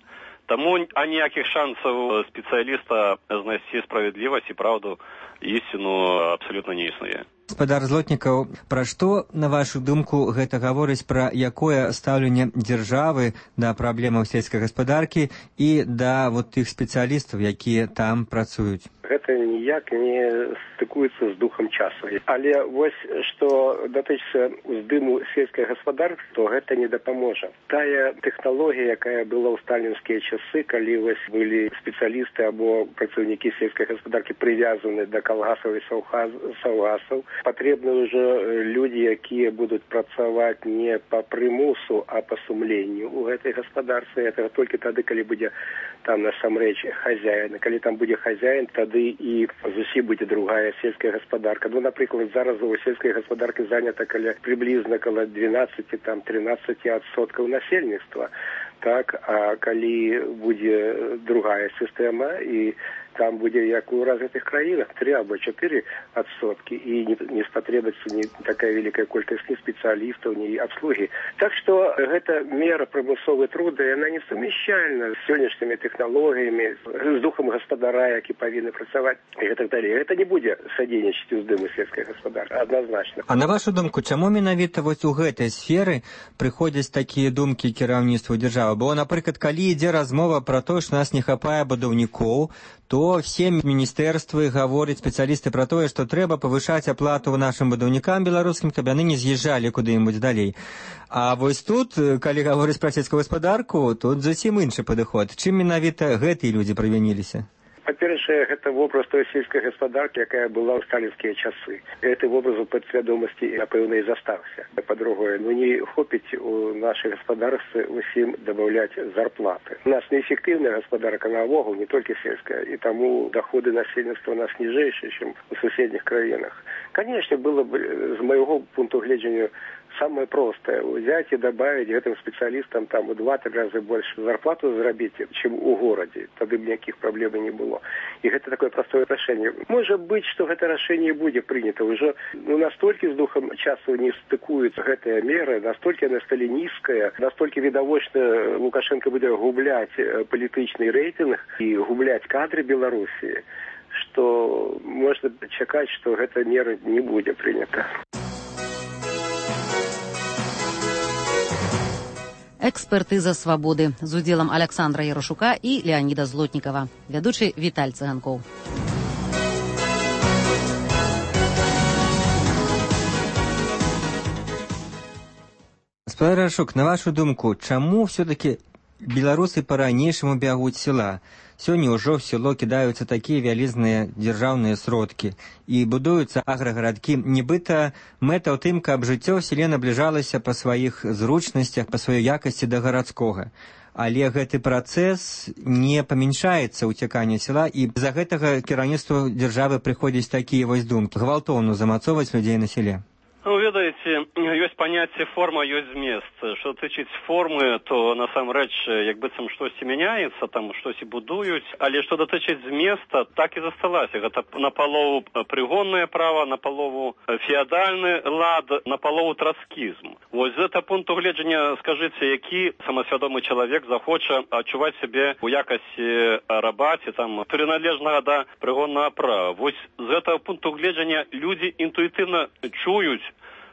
Таму аніякіх шансаў спецыяліста знайсці справядлівасць і праўду, ісціну абсалютна не існуе. Гаспадар Злотнікаў, пра што, на вашу думку, гэта гаворыць пра якое стаўленне дзяржавы да праблемаў сельскай гаспадаркі і да вот тых спецыялістаў, якія там працуюць? Гэта ніяк не стыкуецца з духам часу. Але вось, што датычыцца ўздыму сельскай гаспадаркі, то гэта не дапаможа. Тая тэхналогія, якая была ў сталінскія часы, калі вось былі спецыялісты або працаўнікі сельскай гаспадаркі прывязаны да калгасаў і саўгасаў, патрэбны ўжо людзі, якія будуць працаваць не па прымусу, а па сумленню у гэтай гаспадарцы. Гэта толькі тады, калі будзе там насамрэч хазяін. Калі там будзе хазяін, тады і зусім будзе другая сельская гаспадарка. Ну, напрыклад, зараз у сельскай гаспадаркі занята прыблізна каля 12-13% насельніцтва. Так, а калі будзе другая сістэма, і там будзе, як у развітых краінах, 3 або 4%, і не спатрэбіцца ні такая вялікая колькасць ні спецыялістаў, ні абслугі. Так што гэта мера прымусовай труду, яна не сумяшчальна з сённяшнімі тэхналогіямі, з духам гаспадара, які павінны працаваць, і гэтак далей. Гэта не будзе садзейнічаць уздыму сельскай гаспадаркі, адназначна. А на вашу думку, чаму менавіта вось у гэтай сферы прыходзяць такія думкі кіраўніцтву дзяржавы? Бо, напрыклад, калі ідзе размова пра тое, што нас не хапае будаўнікоў, то все міністэрствы гавораць, спецыялісты, пра тое, што трэба павышаць аплату нашым будаўнікам беларускім, каб яны не з'язджалі куды-небудзь далей. А вось тут, калі гаворыць пра сельскую гаспадарку, тут зусім іншы падыход. Чым менавіта гэтыя людзі правініліся? Па-першае, гэта вобраз той сельскай гаспадаркі, якая была ў сталінскія часы. Гэты вобраз у падсвядомасці, напэўна, і застався. Па-другое, не хопіць у нашай гаспадарцы усім дабаўляць зарплаты. У нас неэфектыўная гаспадарка наогул, не толькі сельская, і таму доходы насельніцтва у нас ніжэйшыя, чым у суседніх краінах. Конечно, было бы, з майго пункту гледжання, самое простое. Взять и добавить этим специалистам там в 2-3 раза больше зарплату заработать, чем у городе. Тогда бы никаких проблем не было. И это такое простое решение. Может быть, что это решение будет принято. Уже настолько с духом часу не стыкуются эта мера, настолько она стала низкая, настолько видовочно Лукашенко будет гублять политичный рейтинг и гублять кадры Белоруссии, что можно чекать, что эта мера не будет принята. Экспертыза свабоды з удзелам Александра Ярашука і Леоніда Злотнікава. Вядучы Віталь Цыганкоў. Гаспадар Рашук, на вашу думку, чаму все-таки беларусы по-ранейшаму бягуць села? Сёння ўжо в село кідаюцца такія вялізныя дзяржаўныя сродкі і будуюцца аграгарадкі. Нібыта мэта ў тым, каб жыццё ў селе набліжалася па сваіх зручнасцях, па сваёй якасці да гарадскога. Але гэты працэс не памяншаецца ўцяканне села, і з-за гэтага кіраўніцтву дзяржавы прыходзяць такія вось думкі гвалтоўна замацоўваць людзей на селе. Ну, ведаеце, ёсць паняцце форма, ёсць змест. Што тычыць формы, то насамрэч як быццам штосьці мяняецца, там штосьці будуюць, але што датычыць зместа, так і засталася. Гэта напалову прыгоннае права, напалову феадальны лад, напалову троцкізм. Вось з гэтага пункту гледжання скажыце, які самасвядомы чалавек захоча адчуваць сябе у якасці раба ці там прыналежнага да прыгоннага права. Вось з гэтага пункту гледжання людзі інтуітыўна чуюць,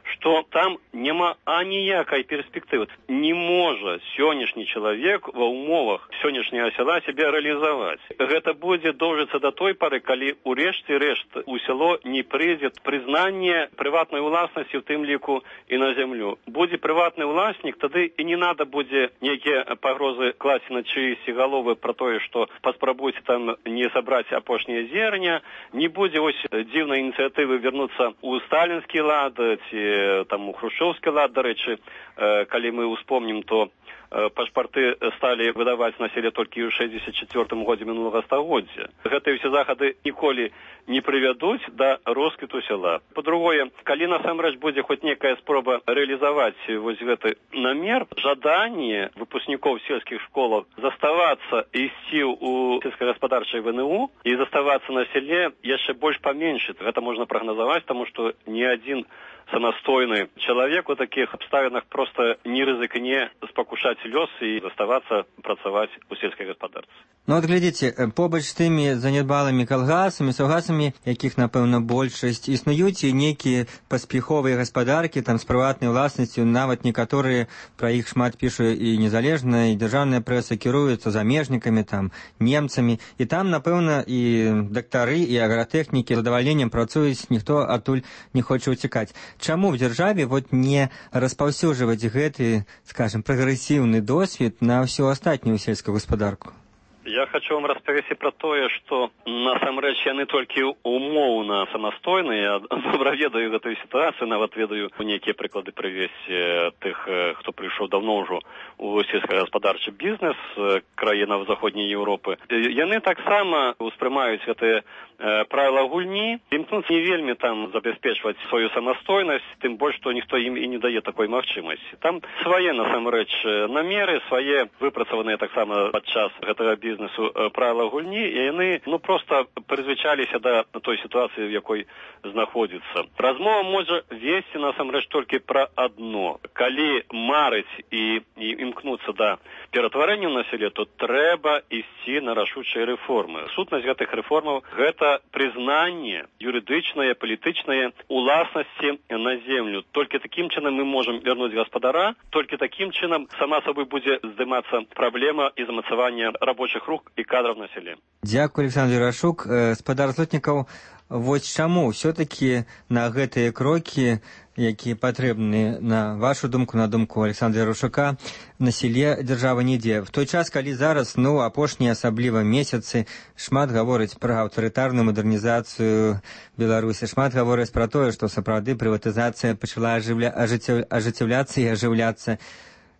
што там няма аніякай перспектывы. Не можа сённяшні чалавек ва ўмовах сённяшняга села сябе рэалізаваць. Гэта будзе доўжыцца да той пары, калі ў рэшце рэшт у сяло не прыйдзе прызнанне прыватнай уласнасці, у тым ліку і на зямлю. Будзе прыватны ўласнік, тады і не надо будзе нейкія пагрозы класці на чыйсьці галовы пра тое, што паспрабуйце там не сабраць апошняе зерня, не будзе ось дзіўнай ініцыятывы вярнуцца ў сталінскі лад ці там у хрушчоўскі лад, дарэчы, калі мы ўспомнім, то пашпарты сталі выдаваць на селе толькі ў 64-м годзе мінулага стагоддзя. Гэтыя ўсе захады ніколі не прывядуць да росквіту села. Па-другое, калі насамрэч будзе хоць некая спроба рэалізаваць вось гэты намер, жаданне выпускнікоў сельскіх школаў заставацца і ісці ў сельскагаспадарчай ВНУ і заставацца на селе яшчэ больш паменшыць. Гэта можна прагназаваць, таму што ні адзін самастойны чалавек у такіх абставінах проста не рызыкне спакушаць лёс і заставацца працаваць у сельскай гаспадарцы. Ну от глядзіце, побач з тымі занядбалымі калгасамі, саўгасамі, якіх, напэўна, большасць, існуюць і нейкія паспяховыя гаспадаркі там з прыватнай уласнасцю, нават некаторыя пра іх шмат пішу і незалежная, і дзяржаўная прэса кіруецца замежнікамі, там, немцамі, і там, напэўна, і дактары, і агратэхнікі з задавальненнем працуюць, ніхто адтуль не хоча ўцякаць. Чаму в дзяржаве вот не распаўсюджваць гэты, скажем, прагрэсіўны досвед на ўсю астатнюю сельскую гаспадарку? Я хочу вам распавесці пра тое, што насамрэч яны толькі умоўна самастойныя. Я добра ведаю гэтую сітуацыю, нават ведаю нейкія прыклады прывесці тых, хто прыйшоў даўно ўжо у сельскагаспадарчы бізнес краінаў заходняй Еўропы. Яны таксама ўспрымаюць гэтыя правила гульні, імкнуць не вельмі там забяспечваць сваю самастойнасць, тым больш, што ніхто ім і не дае такой магчымасці. Там свае насамрэч намеры, свае выпрацаваныя таксама падчас гэтага бізнесу правила гульні, і яны проста прызвычаліся да той сітуацыі, в якой знаходзіцца. Размова можа весці насамрэч толькі пра адно. Калі марыць і імкнуцца да ператварэння на селе, то трэба ісці на рашучыя рэформы. Сутнасць гэтых рэформаў – гэта признание юридичное, палітычнае уласнасці на землю. Толькі такім чынам мы можам вярнуць гаспадара, толькі такім чынам сама сабой будзе здымацца праблема і замацавання рабочых рук і кадраў на селе. Дзякуй, Александр Рашук. Гаспадар Злотнікаў, вось чаму ўсё-такі на гэтыя крокі, якія патрэбны, на вашу думку, на думку Александра Рашука, на селе дзяржава не ідзе. В той час, калі зараз, апошнія асабліва месяцы, шмат гаворыць пра аўтарытарную мадэрнізацыю Беларусі, шмат гаворыць пра тое, што сапраўды прыватызацыя пачала ажыццяўляцца і ажыўляцца.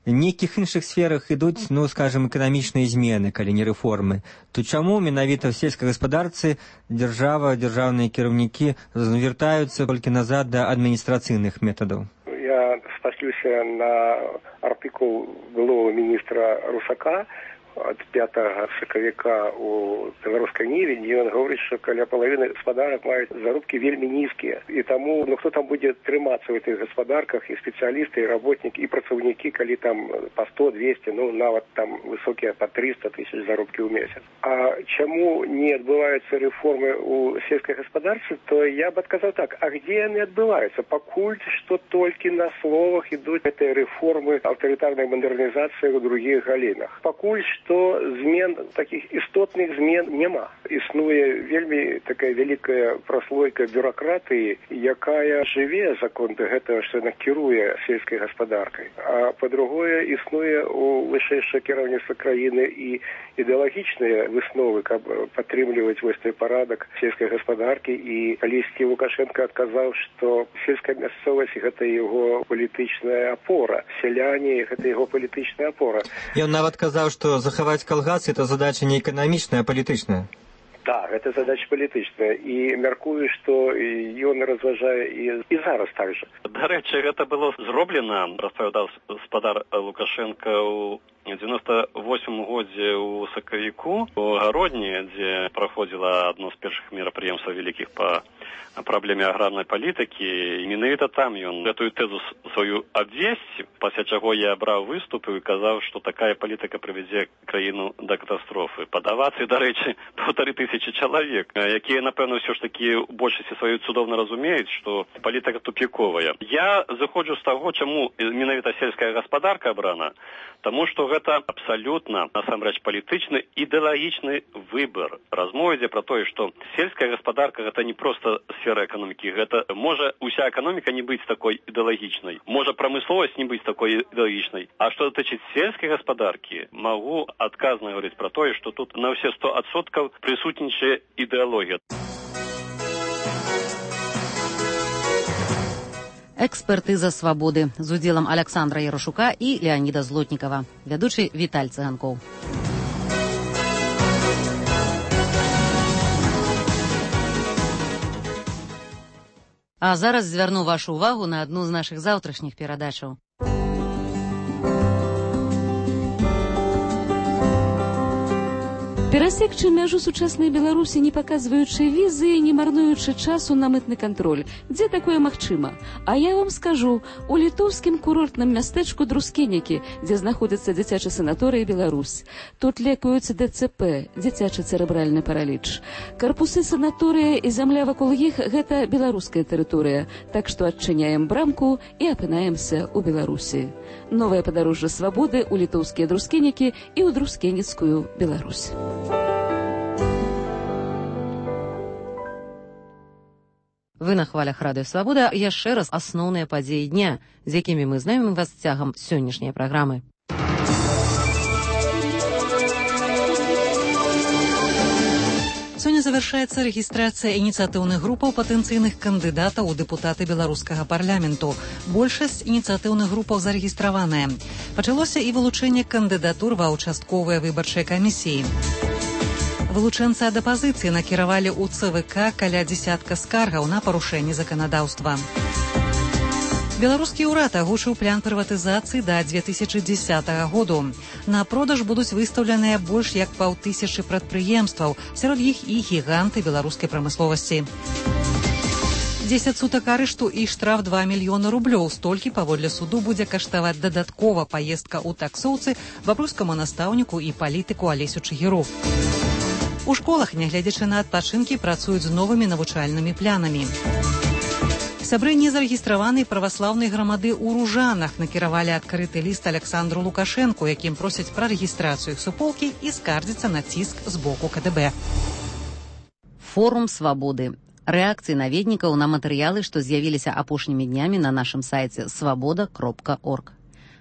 В нейкіх іншых сферах ідуць, скажем, эканамічныя змены, калі не рэформы. То чаму менавіта в сельскай гаспадарцы дзяржава, дзяржаўныя кіраўнікі звяртаюцца толькі назад да адміністрацыйных метадаў? Я спаслюся на артыкул былого міністра Русака ад 5 сакавіка у беларускай Ніве, дзе ён гаворыць, што каля палавіны гаспадарак маюць заробкі вельмі нізкія. І таму, хто там будзе трымацца ў гэтых гаспадарках, і спецыялісты, і работнікі, і працаўнікі, калі там па 100, 200, нават там высокія па 300 тысяч заробкі ў месяц. А чаму не адбываюцца рэформы ў сельскай гаспадарцы, то я б адказаў так, а где яны адбываюцца? Пакуль што толькі на словах ідуць гэтыя рэформы аўтарытарнай мадэрнізацыі ў другіх галінах. Пакуль што змен, такіх істотных змен няма. Існуе вельмі такая вялікая праслойка бюракратыі, якая жыве за конт гэтага, што яна кіруе сельскай гаспадаркай. А па-другое, існуе у вышэйшае кіраўніцтва краіны і ідэалагічныя высновы, каб падтрымліваць вось той парадак сельскай гаспадаркі. І калісьці Лукашенко адказаў, што сельская мясцовасць гэта яго палітычная апора. Сяляне гэта яго палітычная апора. Ён нават казаў, што захаваць калгасы это задача не эканамічная, а палітычная. Так, гэта задача палітычная. І мяркую, што ён разважае і зараз так жа. Дарэчы, гэта было зроблена, распавядаў гаспадар Лукашенко ў 98 годзе ў сакавіку у Гародні, дзе праходзіла адно з першых мерапрыемстваў вялікіх па праблеме аграрнай палітыкі. І менавіта там ён гэтую тэзу сваю абвесціў, пасля чаго я браў выступы і казаў, што такая палітыка прывядзе краіну да катастрофы. Пад авацыі, дарэчы, 1500 чалавек, якія, напэўна, ўсё ж такі ў большасці сваёй цудоўна разумеюць, што палітыка тупіковая. Я заходжу з таго, чаму менавіта сельская гаспадарка абрана, таму што гэта абсалютна, насамрэч, палітычны ідэалагічны выбар. Размова ідзе пра тое, што сельская гаспадарка гэта не проста сфера эканомікі, гэта можа уся эканоміка не быць такой ідэалагічнай, можа прамысловасць не быць такой ідэалагічнай. А што датычыць сельскай гаспадаркі, магу адказна гаварыць пра тое, што тут на ўсе 100% прысутнічае ідэалогія. Экспертыза свабоды з удзелам Александра Ярашука і Леаніда Злотнікава. Вядучы Віталь Цыганкоў. А зараз звярну вашу увагу на адну з нашых заўтрашніх перадачаў. Перасекчы мяжу сучаснай Беларусі, не паказваючы візы і не марнуючы часу на мытны кантроль. Дзе такое магчыма? А я вам скажу, у літоўскім курортным мястэчку Друскенікі, дзе знаходзіцца дзіцячы санаторый Беларусь. Тут лекуюць ДЦП, дзіцячы цэрэбральны параліч. Карпусы санаторыя і зямля вакол іх – гэта беларуская тэрыторыя. Так што адчыняем брамку і апынаемся ў Беларусі. Новае падарожжа свабоды ў літоўскія Друскенікі і ў Друскеніцкую Беларусь. Вы на хвалях Радыё Свабода. Яшчэ раз асноўныя падзеі дня, з якімі мы знаёмім вас цягам сённяшняй праграмы. Сёння завяршаецца рэгістрацыя ініцыятыўных групаў патэнцыйных кандыдатаў у дэпутаты беларускага парламенту. Большасць ініцыятыўных групаў зарэгістраваная. Пачалося і вылучэнне кандыдатур ва ўчастковыя выбарчыя камісіі. Вылучэнцы ад апазіцыі накіравалі ў ЦВК каля дзесятка скаргаў на парушэнне заканадаўства. Беларускі ўрад агучыў план прыватызацыі да 2010 году. На продаж будуць выстаўленыя больш як 5000 прадпрыемстваў, сярод іх і гіганты беларускай прамысловасці. 10 сутак арышту і штраф 2 мільёны рублёў. Столькі, паводле суду, будзе каштаваць дадаткова паездка ў таксоўцы бабруйскаму настаўніку і палітыку Алесю Чыгіру. У школах, нягледзячы на адпачынкі, працуюць з новымі навучальнымі планамі. Сябры незарэгістраванай праваслаўнай грамады ў Ружанах накіравалі адкрыты ліст Александру Лукашэнку, якім просяць пра рэгістрацыю іх суполкі і скардзяцца на ціск з боку КДБ. Форум свабоды. Рэакцыі наведнікаў на матэрыялы, што з'явіліся апошнімі днямі на нашым сайце свабода.орг.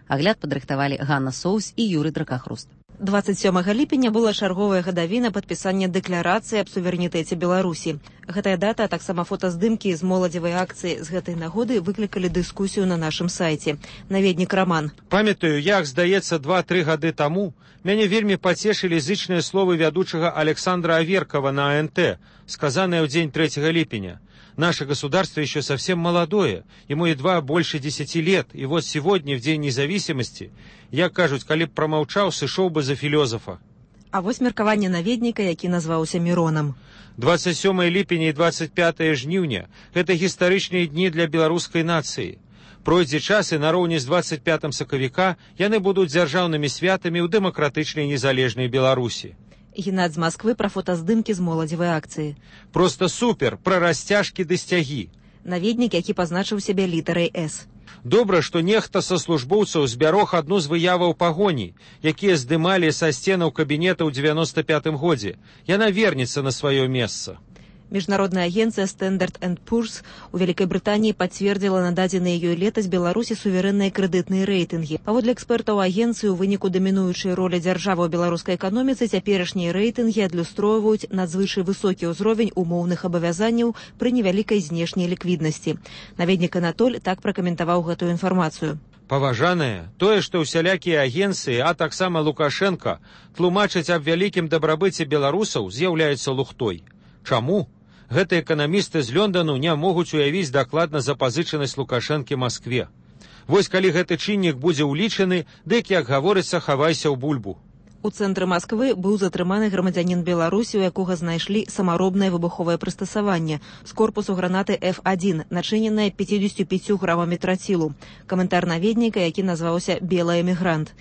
Агляд падрыхтавалі Ганна Соус і Юрый Дракахруст. 27 ліпеня была чарговая гадавіна падпісання дэкларацыі аб суверэнітэце Беларусі. Гэтая дата, а таксама фотаздымкі з моладзевай акцыі з гэтай нагоды выклікалі дыскусію на нашым сайце. Наведнік Раман. Памятаю, як, здаецца, 2-3 гады таму мяне вельмі пацешылі зычныя словы вядучага Александра Аверкова на АНТ, сказаныя ў дзень 3 ліпеня. Наше государство еще совсем молодое, ему едва больше 10 лет, и вот сегодня, в День независимости, як кажуць, калі б прамаўчаў, сышоў бы за філёзафа. А вось меркаванне наведніка, які назваўся Міронам. 27 ліпеня і 25 жніўня – гэта гістарычныя дні для беларускай нацыі. Пройдзе час, і нароўні з 25 сакавіка яны будуць дзяржаўнымі святамі ў дэмакратычнай незалежнай Беларусі. Геннадзь з Москвы пра фотаздымкі з моладзевай акцыі. Просто супер, пра расцяжкі ды сцягі. Наведнік, які пазначыў сябе літарай «С». Добра, што нехта са службоўцаў збярог адну з выяваў пагоні, якія здымалі са сценаў кабінета ў 95-м годзе. Яна вернецца на сваё месца. Международная агенция Standard & Poor's у Великой Британии подтвердила нададзеныя ёй летась Беларусі суверэнныя крэдытныя рэйтынгі. Паводле экспертаў агенцыі, у выніку дамінуючай ролі дзяржавы ў беларускай эканоміцы цяперашнія рэйтынгі адлюстроўваюць надзвычай высокі ўзровень умоўных абавязанняў пры невялікай знешняй ліквіднасці. Наведнік Анатоль так пракаментаваў гэтую інфармацыю. Паважаныя, тое, што ўсялякія агенцыі, а таксама Лукашенко, тлумачаць аб вялікім дабрабыце беларусаў, з'яўляецца лухтой. Чаму? Гэтыя эканамісты з Лёндану не могуць уявіць дакладна запазычанасць Лукашэнкі Маскве. Вось калі гэты чыннік будзе ўлічаны, дык, як гаворыцца, хавайся ў бульбу. У цэнтры Масквы быў затрыманы грамадзянін Беларусі, у якога знайшлі самаробнае выбуховае прыстасаванне з корпусу гранаты F1, начыненае 55 грамамі трацілу. Каментар наведніка, які назваўся «Белы эмігрант».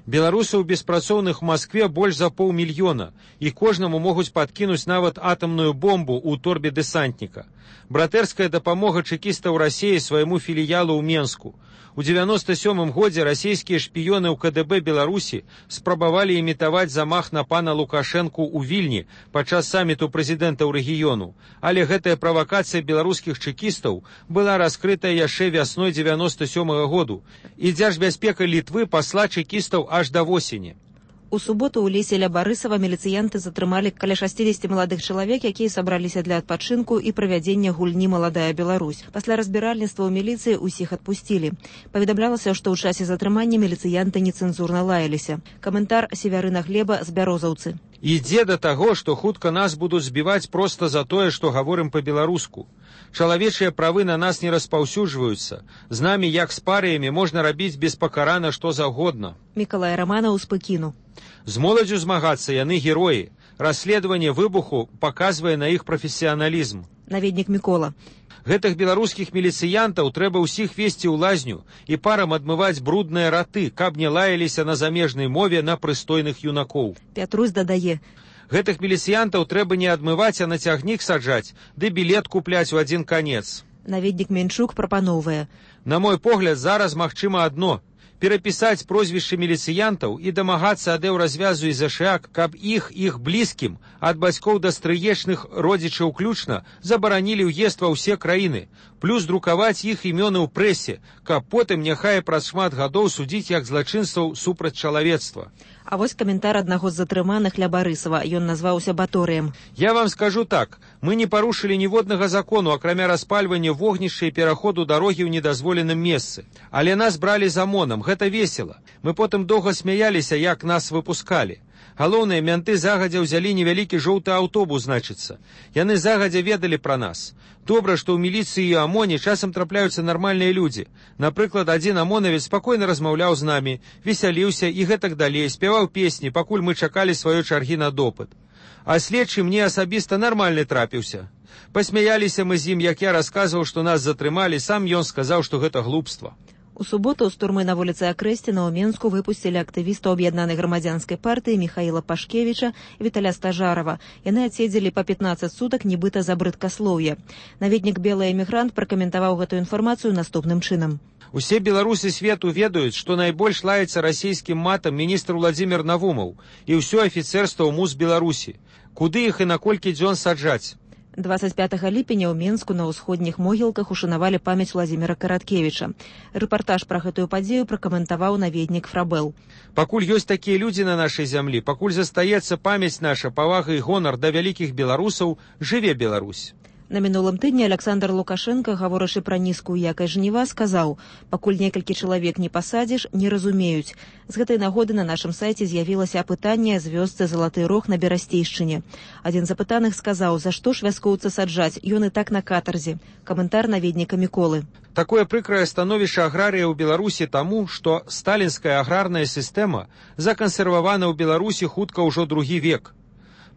Беларусаў беспрацоўных у Маскве больш за 500 000, і кожнаму могуць падкінуць нават атамную бомбу ў торбе дэсантніка. Братэрская дапамога чэкістаў Расіі свайму філіялу ў Менску. У 97-м годзе расійскія шпіёны ў КДБ Беларусі спрабавалі імітаваць замах на пана Лукашэнку ў Вільні падчас саміту прэзідэнтаў рэгіёну, але гэтая правакацыя беларускіх чэкістаў была раскрытая яшчэ вясной 97-го году, і Дзяржбяспека Літвы пасла чэкістаў аж да восені. У суботу ў лесе ля Барысава міліцыянты затрымалі каля 60 маладых чалавек, якія сабраліся для адпачынку і правядзення гульні «Маладая Беларусь». Пасля разбіральніцтва ў міліцыі ўсіх адпусцілі. Паведамлялася, што ў часе затрымання міліцыянты нецэнзурна лаяліся. Каментар Севярына Глеба з Бярозаўцы. Ідзе да таго, што хутка нас будуць збіваць проста за тое, што гаворым па-беларуску. Чалавечыя правы на нас не распаўсюджваюцца. З намі, як з парыямі, можна рабіць беспакарана што заўгодна. Мікалай Раманаў з Пекіну. З моладзю змагацца яны героі. Расследаванне выбуху паказвае на іх прафесіяналізм. Наведнік Мікола. Гэтых беларускіх міліцыянтаў трэба ўсіх весці ў лазню і парам адмываць брудныя раты, каб не лаяліся на замежнай мове на прыстойных юнакоў. Пятрусь дадае. Гэтых міліцыянтаў трэба не адмываць, а на цягнік саджаць, ды білет купляць у адзін канец. Наведнік Менчук прапаноўвае. На мой погляд, зараз магчыма адно – перапісаць прозвішчы міліцыянтаў і дамагацца ад еўразвязу і ЗША, каб іх блізкім, ад бацькоў да стрыечных родзічаў ўключна, забаранілі ўезд ва ўсе краіны, плюс друкаваць іх імёны ў прэсе, каб потым няхай праз шмат гадоў судзіць як злачынстваў супраць чалавецтва. А вось каментар аднаго з затрыманых ля Барысава. Ён назваўся Баторыем. Я вам скажу так. Мы не парушылі ніводнага закону, акрамя распальвання вогнішча і пераходу дарогі ў недазволеным месцы. Але нас бралі за моном. Гэта весела. Мы потым доўга смяяліся, як нас выпускалі. Галоўнае, мянты загадзя ўзялі невялікі жоўты аўтобус, значыцца. Яны загадзя ведалі пра нас. Добра, што ў міліцыі і АМОНе часам трапляюцца нармальныя людзі. Напрыклад, адзін амонавец спакойна размаўляў з намі, весяліўся і гэтак далей, спяваў песні, пакуль мы чакалі сваёй чаргі на допыт. А следчы мне асабіста нармальны трапіўся. Пасмяяліся мы з ім, як я расказваў, што нас затрымалі, сам ён сказаў, што гэта глупства. У суботу з турмы на вуліцы Акрэсціна ў Менску выпусцілі актывістаў аб'яднанай грамадзянскай партыі Міхаіла Пашкевіча і Віталя Стажарова. Яны адседзелі па 15 сутак нібыта за брыдкаслоўе. Наведнік «Белы эмігрант» пракаментаваў гэтую інфармацыю наступным чынам. Усе беларусы свету ведаюць, што найбольш лаецца расійскім матам міністр Владзімір Навумаў і ўсё афіцэрства ў МУЗ Беларусі. Куды іх і на колькі дзён саджаць? 25 ліпеня ў Менску на ўсходніх могілках ушанавалі памяць Владзіміра Караткевіча. Рэпартаж пра гэтую падзею пракаментаваў наведнік Фрабэл. Пакуль ёсць такія людзі на нашай зямлі, пакуль застаецца памяць наша, павага і гонар да вялікіх беларусаў, жыве Беларусь. На мінулым тыдні Александр Лукашенко, гаворачы пра нізкую якасць жніва, сказаў: «Пакуль некалькі чалавек не пасадзіш, не разумеюць». З гэтай нагоды на нашым сайце з'явілася апытанне з вёсцы Залаты Рог на Берасцейшчыне. Адзін з апытаных сказаў: «За што ж вяскоўца саджаць? Ён і так на катарзе». Каментар наведніка Міколы. Такое прыкрае становішча аграрія ў Беларусі таму, што сталінская аграрная сістэма закансервавана ў Беларусі хутка ўжо другі век.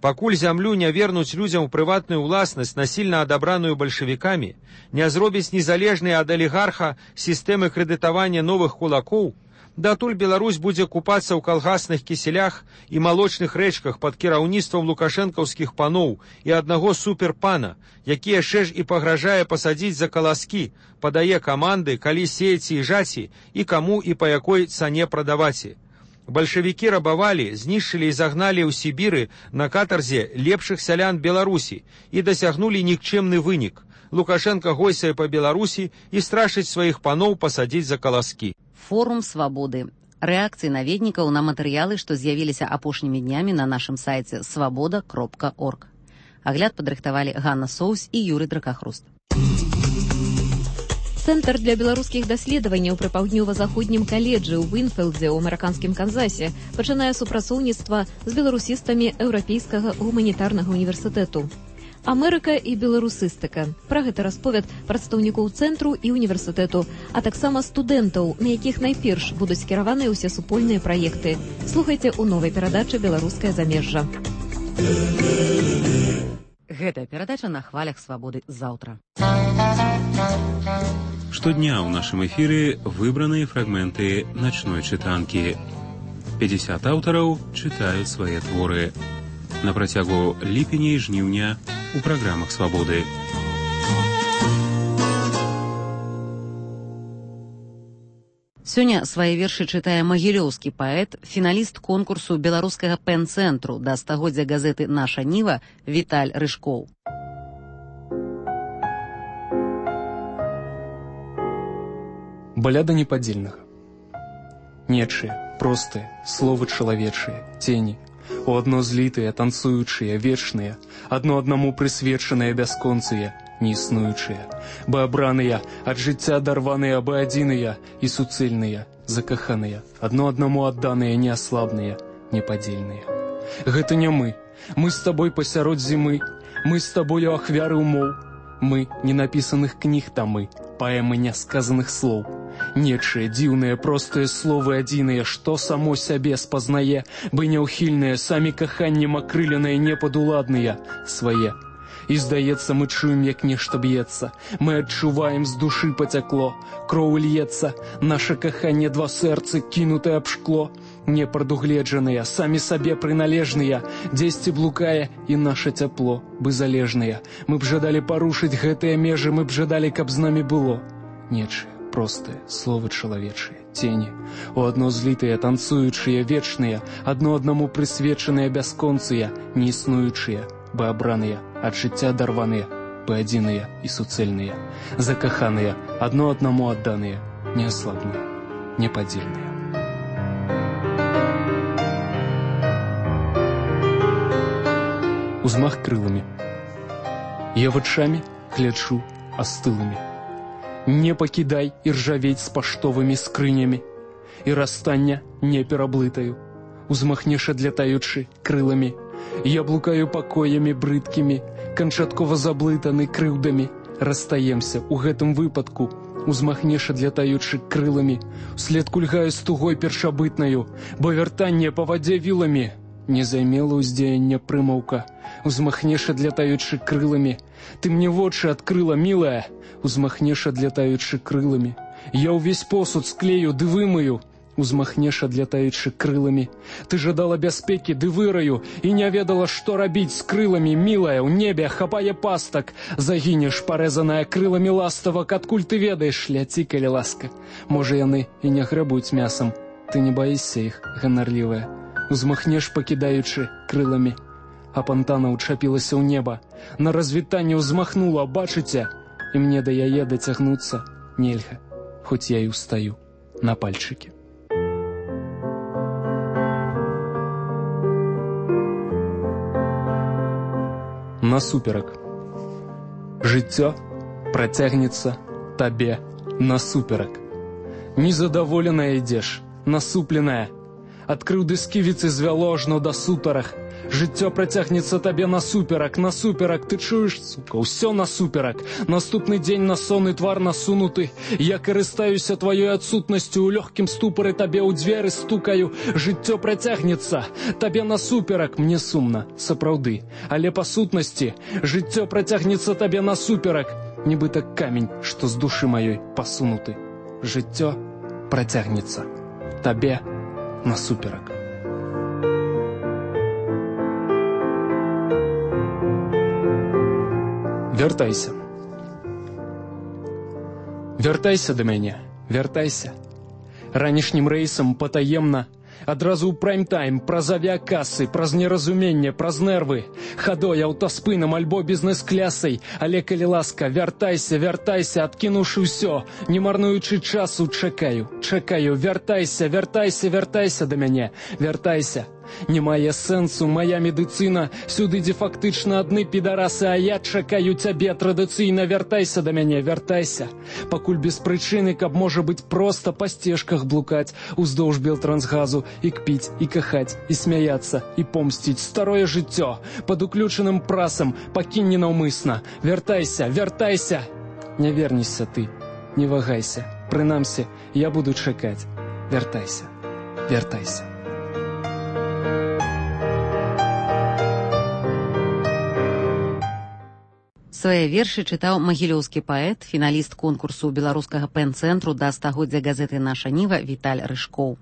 Пакуль зямлю не вернуць людзям у прыватную ўласнасць, насільна адабраную бальшавікамі, не зробіць незалежнай ад алігарха сістэмы крэдытавання новых кулакоў, Датуль Беларусь будзе купацца ў калгасных кіселях і малочных рэчках пад кіраўніцтвам лукашэнкаўскіх паноў і аднаго суперпана, які яшчэ ж і пагражае пасадзіць за каласкі, падае каманды, калі сеяці і жаці, і каму і па якой цане прадаваці. Бальшавікі рабавалі, знішчылі і загналі ў Сібіры на катарзе лепшых сялян Беларусі і дасягнулі нікчэмны вынік. Лукашенко гойсае па Беларусі і страшыць сваіх паноў пасадзіць за каласкі. Форум свабоды. Рэакцыі наведнікаў на матэрыялы, што з'явіліся апошнімі днямі на нашым сайце свабода.орг. Агляд падрыхтавалі Ганна Соус і Юрый Дракахруст. Цэнтр для беларускіх даследаванняў пры паўднёва-заходнім каледжы ў Вінфілдзе ў амерыканскім Канзасе пачынае супрацоўніцтва з беларусістамі Еўрапейскага гуманітарнага універсітэту. Амерыка і беларусістыка. Пра гэта расповяд прадстаўнікоў цэнтру і універсітэту, а таксама студэнтаў, на якіх найперш будуць скіраваныя ўсе супольныя праекты. Слухайце ў новай перадачы «Беларускае замежжа». Гэтая перадача на хвалях свабоды заўтра. Штодня ў нашым эфіры выбраныя фрагменты начной чытанкі. 50 аўтараў чытаюць свае творы. На працягу ліпеня і жніўня у праграмах свабоды. Сёння свае вершы чытае магілёўскі паэт, фіналіст конкурсу беларускага пэн-цэнтру да стагоддзя газеты «Наша Ніва» Віталь Рыжкоў. Баляда непадзельнага. Нечыя, простыя, словы чалавечыя, цені, у адно злітыя, танцуючыя, вечныя, адно аднаму прысвечаныя бясконцыя, неіснуючыя, бы абраныя, ад жыцця дарваныя, бы адзіныя і суцэльныя, закаханыя, адно аднаму адданыя, неаслабныя, непадзельныя. Гэта не мы з табой пасярод зімы, мы з табою ахвяры ўмоў, мы ненапісаных кніг тамы, паэмы нясказаных слоў. Нечыя, дзіўныя, простыя словы адзіныя, што само сябе спазнае, бы няўхільныя, самі каханнем акрыленыя, непадуладныя, свае. І, здаецца, мы чуем, як нешта б'ецца, мы адчуваем, з душы пацякло, кроў льецца, наша каханне два сэрцы, кінутае аб шкло, непрадугледжаныя, самі сабе прыналежныя, дзесьці блукае і наша цяпло, бы залежныя. Мы б жадалі парушыць гэтыя межы, мы б жадалі, каб з намі было. Нечыя, простыя, словы чалавечыя, цені, у адно злітыя, танцуючыя, вечныя, адно аднаму прысвечаныя, бясконцыя, неіснуючыя, бы абраныя, ад жыцця дарваныя, бы адзіныя і суцэльныя, закаханыя, адно аднаму адданыя, неаслабныя, непадзельныя. Узмах крыламі. Я вачамі глячу астылымі. Не пакідай і ржавець з паштовымі скрынямі, і расстання не пераблытаю. Узмахнеш адлятаючы крыламі. Я блукаю пакоямі брыдкімі, канчаткова заблытаны крыўдамі. Расстаемся у гэтым выпадку. Узмахнеш адлятаючы крыламі. Услед кульгаю з тугой першабытнаю, бо вяртанне па вадзе віламі. Не займела ўздзеяння прымаўка. Узмахнеш адлятаючы крыламі. Ты мне вочы адкрыла, мілая. Узмахнеш адлятаючы крыламі. Я ўвесь посуд склею ды вымыю. Узмахнеш адлятаючы крыламі. Ты жадала бяспекі ды выраю і не ведала, што рабіць з крыламі, мілая. У небе хапае пастак. Загінеш, парэзаная крыламі ластавак. Адкуль ты ведаеш, ляці, калі ласка. Можа, яны і не грабуюць мясам. Ты не баішся іх, ганарлівая. Узмахнеш, пакідаючы крыламі. А пантана ўчапілася ў неба. На развітанне ўзмахнула, бачыце? І мне да яе дацягнуцца нельга, хоць я і ўстаю на пальчыкі. Насуперак. Жыццё працягнецца табе насуперак. Незадаволеная ідзеш, насупленая. Ад крыўды сківіцы звяло ажно да сутарах. Жыццё працягнецца табе насуперак, насуперак, ты чуеш, сука, ўсё насуперак. Наступны дзень на сонны твар насунуты. Я карыстаюся тваёй адсутнасцю, у лёгкім ступары табе ў дзверы стукаю. Жыццё працягнецца табе насуперак, мне сумна, сапраўды. Але па сутнасці жыццё працягнецца табе насуперак. Нібыта камень, што з душы маёй пасунуты. Жыццё працягнецца табе насуперак. Вяртайся. Вяртайся да мяне, вяртайся. Ранішнім рэйсам патаемна, адразу ў прайм-тайм, праз авіакасы, праз неразуменне, праз нервы, хадой, аўтаспынам альбо бізнес-клясай, але калі ласка, вяртайся, вяртайся, адкінуўшы ўсё, не марнуючы часу, чакаю, вяртайся, вяртайся, вяртайся да мяне, вяртайся. Не мае сэнсу мая медыцына, сюды дзе фактычна адны підарасы, а я чакаю цябе традыцыйна, вяртайся да мяне, вяртайся. Пакуль без прычыны, каб можа быць проста па сцежках блукаць, уздоўж Белтрансгазу, і кпіць, і кахаць, і смяяцца, і помсціць старое жыццё, пад уключаным прасам, пакінь ненаўмысна, вяртайся, вяртайся. Не вернешся ты, не вагайся, прынамсі, я буду чакаць, вяртайся, вяртайся. Свае вершы чытаў магілёўскі паэт, фіналіст конкурсу беларускага пэн-цэнтру да стагоддзя газеты «Наша Ніва» Віталь Рыжкоў.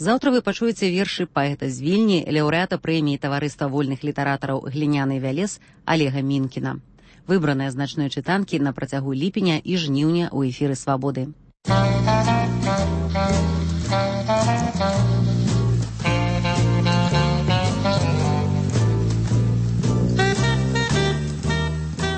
Заўтра вы пачуеце вершы паэта з Вільні, лаўрэата прэміі таварыства вольных літаратараў «Гліняны вялез» Алега Мінкіна. Выбраныя з начной чытанкі на працягу ліпеня і жніўня ў эфіры «Свабоды».